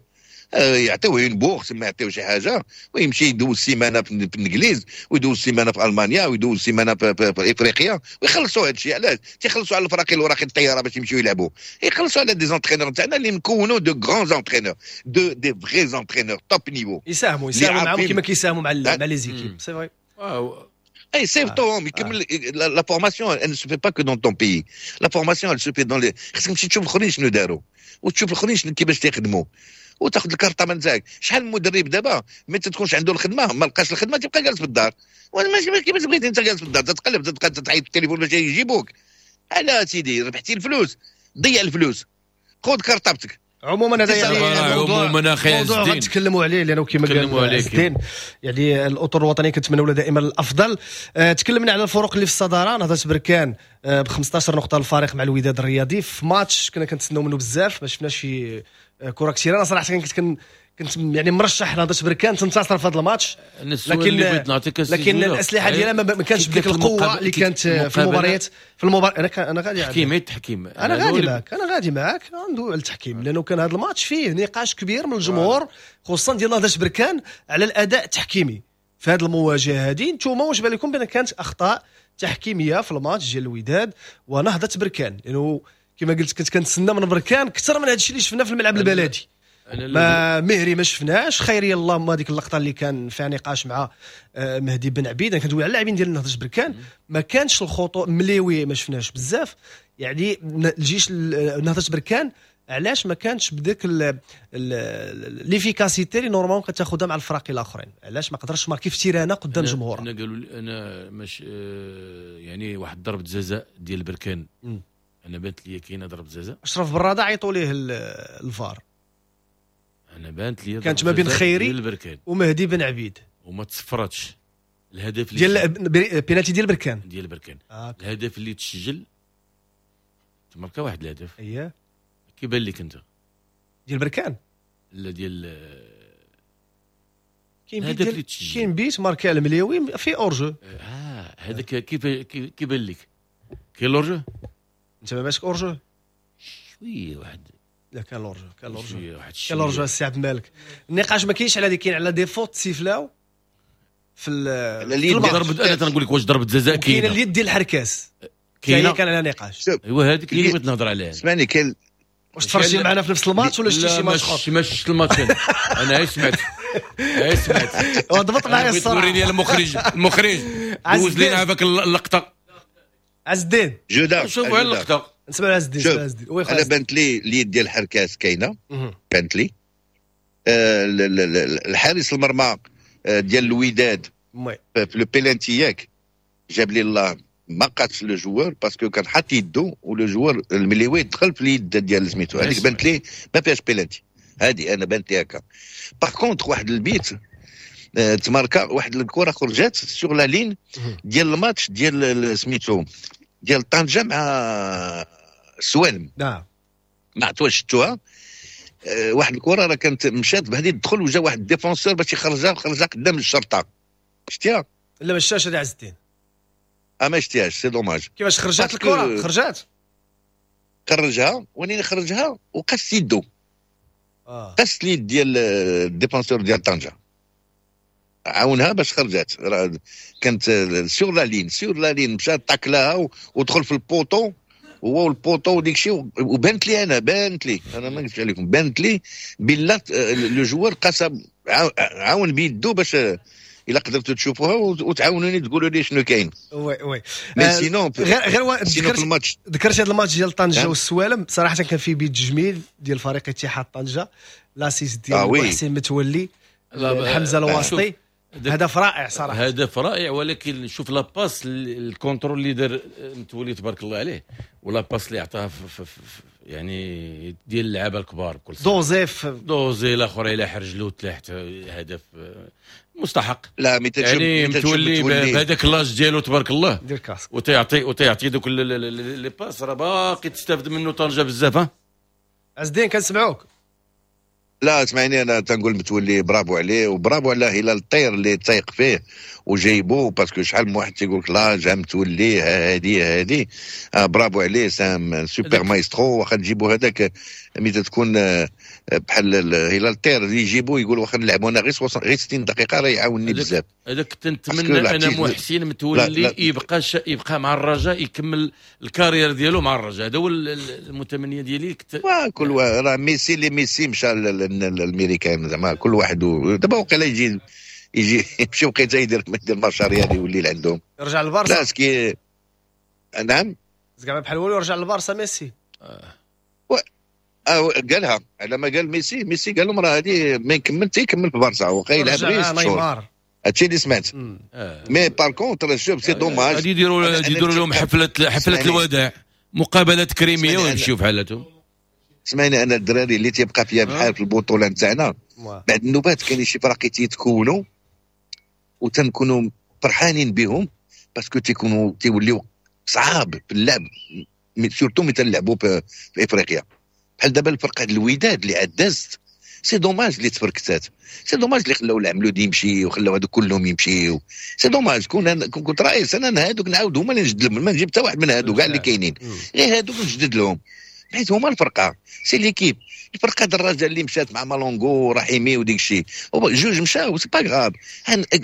Speaker 3: يعطيوه une bourse، ما يعطيوه شي حاجه، ويمشي يدوز سيمانه في الانجليز ويدوز سيمانه في المانيا ويدوز سيمانه في افريقيا، ويخلصوا هذا الشيء. علاش تيخلصوا على الفراقي الوراقي الطيارة باش يمشيو يلعبوا؟ يخلصوا على des entraîneurs تاعنا اللي نكونوا de grands entraîneurs، de des vrais entraîneurs top niveau.
Speaker 2: يساهموا معاهم كما كيساهموا مع les équipes، c'est vrai.
Speaker 3: اي صيفطوهم يكمل la formation. elle ne se fait pas que dans ton pays، la formation elle se fait dans les، خصك تمشي تشوف الاخرين شنو داروا وتشوف الاخرين شنو كيفاش تيخدموا وتاخذ الكارطه من تاعك. شحال من مدرب دابا ما تكونش عنده الخدمه، ما لقاش الخدمه، تبقى جالس في الدار. ماشي كيفاش بغيتي انت جالس في الدار تتقلب، تبقى تعيط في التليفون باش يجيبوك. على سيدي ربحتي الفلوس، ضيع الفلوس، خذ كارطابتك.
Speaker 2: عموما هذا يعني موضوع،
Speaker 4: عموما اخي
Speaker 2: موضوع غنتكلموا عليه، لانه كما قال الدين يعني الاطر الوطنية كنتمنوا دائما الافضل. تكلمنا على الفرق اللي في الصداره، نهضة بركان ب 15 نقطة الفارق مع الوداد الرياضي في ماتش كنا كنتسناو منه بزاف، ما شفناش شي كره كثيره. انا صراحة كنت يعني مرشح نهضة بركان تنتصر في هذا الماتش، لكن الاسلحة ديالها ما كانتش بديك القوة اللي كانت في المباريات في المباراة. انا غادي
Speaker 4: تحكيم التحكيم،
Speaker 2: انا غادي معاك ندوي على التحكيم، لانه كان هذا الماتش فيه نقاش كبير من الجمهور، خصوصا ديال نهضة بركان، على الاداء التحكيمي في هذه المواجهة هذه. انتم واش بالكم لكم بان كانت اخطاء تحكيميه في الماتش ديال الوداد ونهضه بركان؟ لانه كما قلت كنت كنتسنى من بركان اكثر من هذا الشيء اللي شفناه في الملعب البلدي. ما مهري ما شفناش خيري، اللهم هذيك اللقطة اللي كان فيها نقاش مع مهدي بن عبيد. انا كندوي على اللاعبين ديال نهضة بركان، ما كانش الخطوط، مليوي ما شفناش بزاف. يعني الجيش نهضة بركان علاش ما كانش بديك l'efficacité اللي normalement كتاخذها مع الفرق الاخرين؟ علاش ما قدرش marquer في terrain قدام جمهور؟
Speaker 4: انا قالوا لي انا مش يعني واحد ضربه جزاء ديال بركان، انا بانت لي كاينه ضربه جزاء.
Speaker 2: اشرف براده عيطوا ليه الفار.
Speaker 4: انا بانت لي
Speaker 2: كانت ما بين خيري ومهدي بن عبيد.
Speaker 4: وما تصفراتش. الهدف
Speaker 2: اللي ديال بينالتي ديال بركان.
Speaker 4: ديال بركان. الهدف اللي تسجل، تماركا واحد الهدف. كيبان لك انت؟
Speaker 2: ديال بركان؟
Speaker 4: لا، ديال
Speaker 2: كاين بيت اللي كاين بيت ماركا المليوي في hors-jeu.
Speaker 4: اه هذاك كيف كيبان لك كاين l'hors-jeu؟
Speaker 2: انت ما ماسك hors-jeu؟
Speaker 4: شوية واحد.
Speaker 2: لا، كان l'hors-jeu، كان l'hors-jeu، كان l'hors-jeu. السي عبد المالك، النقاش ما كاينش على هذه، كاين على des fautes سيفلاو في
Speaker 4: ضربة. انا تنقول لك واش ضربه جزاء
Speaker 2: كاينه؟ كاينه اليد ديال الحركاس.
Speaker 4: كاينه.
Speaker 2: كان على نقاش.
Speaker 4: ايوا هذيك اللي بغيت نهضر عليها.
Speaker 3: اسمعني، كاين
Speaker 2: واش تفرجتي معنا في نفس الماتش ولا شتي شي ماتش اخر؟
Speaker 4: ما شفت الماتش انا، غير سمعت، غير سمعت.
Speaker 2: ضبط معايا الصراحه.
Speaker 4: وريني المخرج، المخرج دوز لينا هذاك اللقطه.
Speaker 2: عز الدين.
Speaker 3: جوده.
Speaker 4: شوفوا اللقطه.
Speaker 2: نسمع عز الدين، عز الدين.
Speaker 3: انا بانت لي اليد ديال الحركاس كاينه، بانت لي الحارس المرمى ديال الوداد في le penalty، ياك جاب لي الله ما قاتش le joueur parce que كان حاط يدو و le joueur المليوي دخل في اليد ديال سميتو. هذيك بانت لي ما فيهاش بيلانتي، هذه انا بانت لي هكا. par contre واحد البيت تماركا، واحد الكره خرجت sur la ligne ديال الماتش ديال سميتو ديال طنجه مع السوالم. ما عرفت واش شفتوها. واحد الكره راه كانت مشات بهذه تدخل وجا واحد défenseur باش يخرجها، خرجها قدام الشرطه. شتيها؟
Speaker 2: لا، ما شفتهاش هذه عز الدين.
Speaker 3: اه ما شتيهاش، c'est dommage.
Speaker 2: كيفاش خرجت الكره؟ خرجت؟
Speaker 3: خرجها، ولكن خرجها وقاس يدو. قاس اليد ديال ال défenseur ديال طنجه، عاونها باش خرجت. كانت sur la ligne، sur la ligne مشات تاكلاها ودخل في ال poteau هو وال poteau وديك الشيء. وبانت لي انا، بانت لي انا، ما نكذبش عليكم، بانت لي بلا le joueur قاس، عاون بيدو باش الا قدرتوا تشوفوها وتعاونوني تقولوا لي شنو كاين.
Speaker 2: oui oui.
Speaker 3: mais sinon
Speaker 2: غير
Speaker 3: ذكرت الماتش.
Speaker 2: ذكرت هذا الماتش ديال طنجه والسوالم، صراحة كان فيه بيت جميل ديال فريق اتحاد طنجه، l'assist ديال محسن متولي حمزة الواسطي، هدف رائع صراحه.
Speaker 4: هدف رائع، ولكن شوف la passe، ال contrôle اللي دار متولي تبارك الله عليه، و la passe اللي عطاها في يعني ديال اللعابه الكبار بكل
Speaker 2: دوزيف
Speaker 4: دوزي الاخر الى حرجلو تلاحت هدف مستحق.
Speaker 3: لا
Speaker 4: يعني متولي بهذاك l'âge ديالو تبارك الله
Speaker 2: دير casque
Speaker 4: وتيعطي دوك les passes، راه باقي تستافد منه طنجه بزاف. ها
Speaker 2: عز الدين كنسمعوك.
Speaker 3: لا اسمعني، انا تنقول متولي برافو عليه وبرافو على هلال الطير اللي تايق فيه وجايبو، parce que شحال من واحد تيقول لك لا جا متولي هادي هادي، برافو عليه، c'est un super maestro. واخا تجيبو هذاك ملي تكون بحال هلال الطير اللي يجيبو يقول واخا نلعبو انا غير 60 دقيقة راه يعاونني بزاف.
Speaker 4: هذاك تنتمنى انا محسن متولي يبقى مع الرجاء، يكمل ال carrière ديالو مع الرجاء، هذا هو المتمنيه ديالي.
Speaker 3: كل راه ميسي اللي ميسي مشى للامريكان زعما كل واحد دابا وقيلا يجي يمشي وقيته يدير المشاريع يولي لعندهم،
Speaker 2: يرجع للبارسا.
Speaker 3: لا سكي نعم
Speaker 2: زعما بحال والو يرجع للبارسا ميسي.
Speaker 3: قالها على ما قال ميسي قال لهم راه هذه ما يكمل تيكمل في بارسا وقيل يلعب غير 6 شهور، هادشي اللي سمعت. mais par contre شوف c'est dommage
Speaker 4: غادي يديروا لهم حفلة الوداع، مقابله تكريميه ويمشيو بحالاتهم.
Speaker 3: سمعني انا الدراري اللي تيبقى فيها بحال في البطولة نتاعنا بعد النوبات كاين شي فراقي تيتكونوا وتنكونوا فرحانين بهم parce que تيكونوا تيوليو صعاب في اللعب، surtout ملي تنلعبوا في افريقيا. بحال دابا الفرقة الوداد اللي عاد دازت، c'est dommage اللي تفركتات، c'est dommage اللي خلاو العملود يمشي وخلاو هادو كلهم يمشيو، c'est dommage. كون كنت رئيس انا هادوك نعاود هما اللي نجدد لهم، ما نجيب حتى واحد من هادو كاع اللي كاينين، غير هادوك نجدد لهم حيت هما الفرقة، c'est l'équipe. الفرقة ديال الرجاء اللي مشات مع مالونغو ورحيمي وديك الشيء، جوج مشاو c'est pas grave،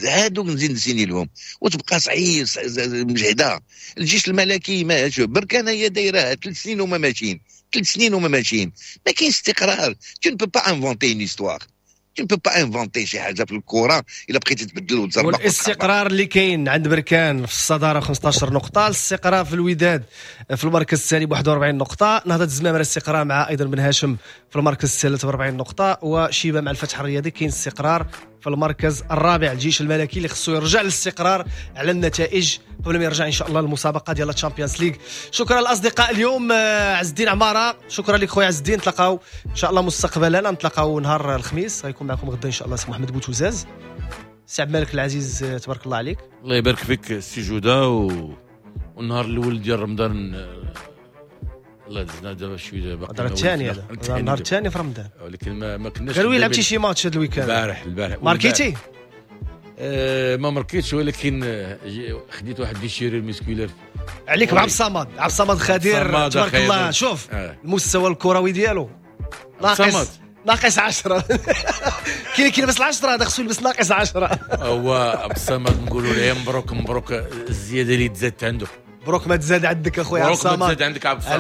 Speaker 3: هادوك نزيد نسيني لهم وتبقى صعيب مجهده. الجيش الملكي ما شوف بركان هي دايرة 3 سنين وما ماشيين، 3 سنين وما ماشيين، ما كاينش استقرار. tu ne peux pas inventer une histoire، tu ne peux pas inventer شي حاجة في الكره الا بقيتي تبدل وتزربق.
Speaker 2: والاستقرار اللي كاين عند بركان في الصدارة 15 نقطة، الاستقرار في الوداد في المركز الثاني ب 41 نقطة، نهضة الزمامره الاستقرار مع ايضا بن هاشم في المركز الثالث ب 40 نقطة، وشيبة مع الفتح الرياضي كاين استقرار في المركز الرابع. الجيش الملكي اللي خصو يرجع للاستقرار على النتائج قبل ما يرجع ان شاء الله المسابقة ديال الشامبيونز ليغ. شكرا الاصدقاء اليوم عز الدين عمارة، شكرا لك خويا عز الدين، نتلاقاو ان شاء الله مستقبلا، نتلاقاو نهار الخميس، غيكون معكم غدا ان شاء الله سي محمد بوتوزاز. سي عبد الملك العزيز تبارك الله عليك.
Speaker 4: الله يبارك فيك سي جوده. والنهار الاول ديال رمضان الله دزنا دابا شوية باقي
Speaker 2: النهار الثاني، هذا النهار الثاني في رمضان،
Speaker 4: ولكن ما كناش.
Speaker 2: قالوا لي لعبتي شي ماتش هذا ال week-end؟
Speaker 4: البارح
Speaker 2: ماركيتي؟
Speaker 4: ما ماركيتش، ولكن خديت واحد déchirure musculaire
Speaker 2: عليك مع عبد الصمد. عبد الصمد خدير تبارك الله، شوف المستوى الكروي ديالو ناقص 10. كاين كيلبس 10، هذا خصو يلبس ناقص 10.
Speaker 4: هو عبد الصمد نقولوا له مبروك مبروك الزيادة اللي تزادت عنده،
Speaker 2: مبروك ما تزاد عندك اخويا عبد الصمد،
Speaker 4: مبروك ما تزاد عندك عبد الصمد.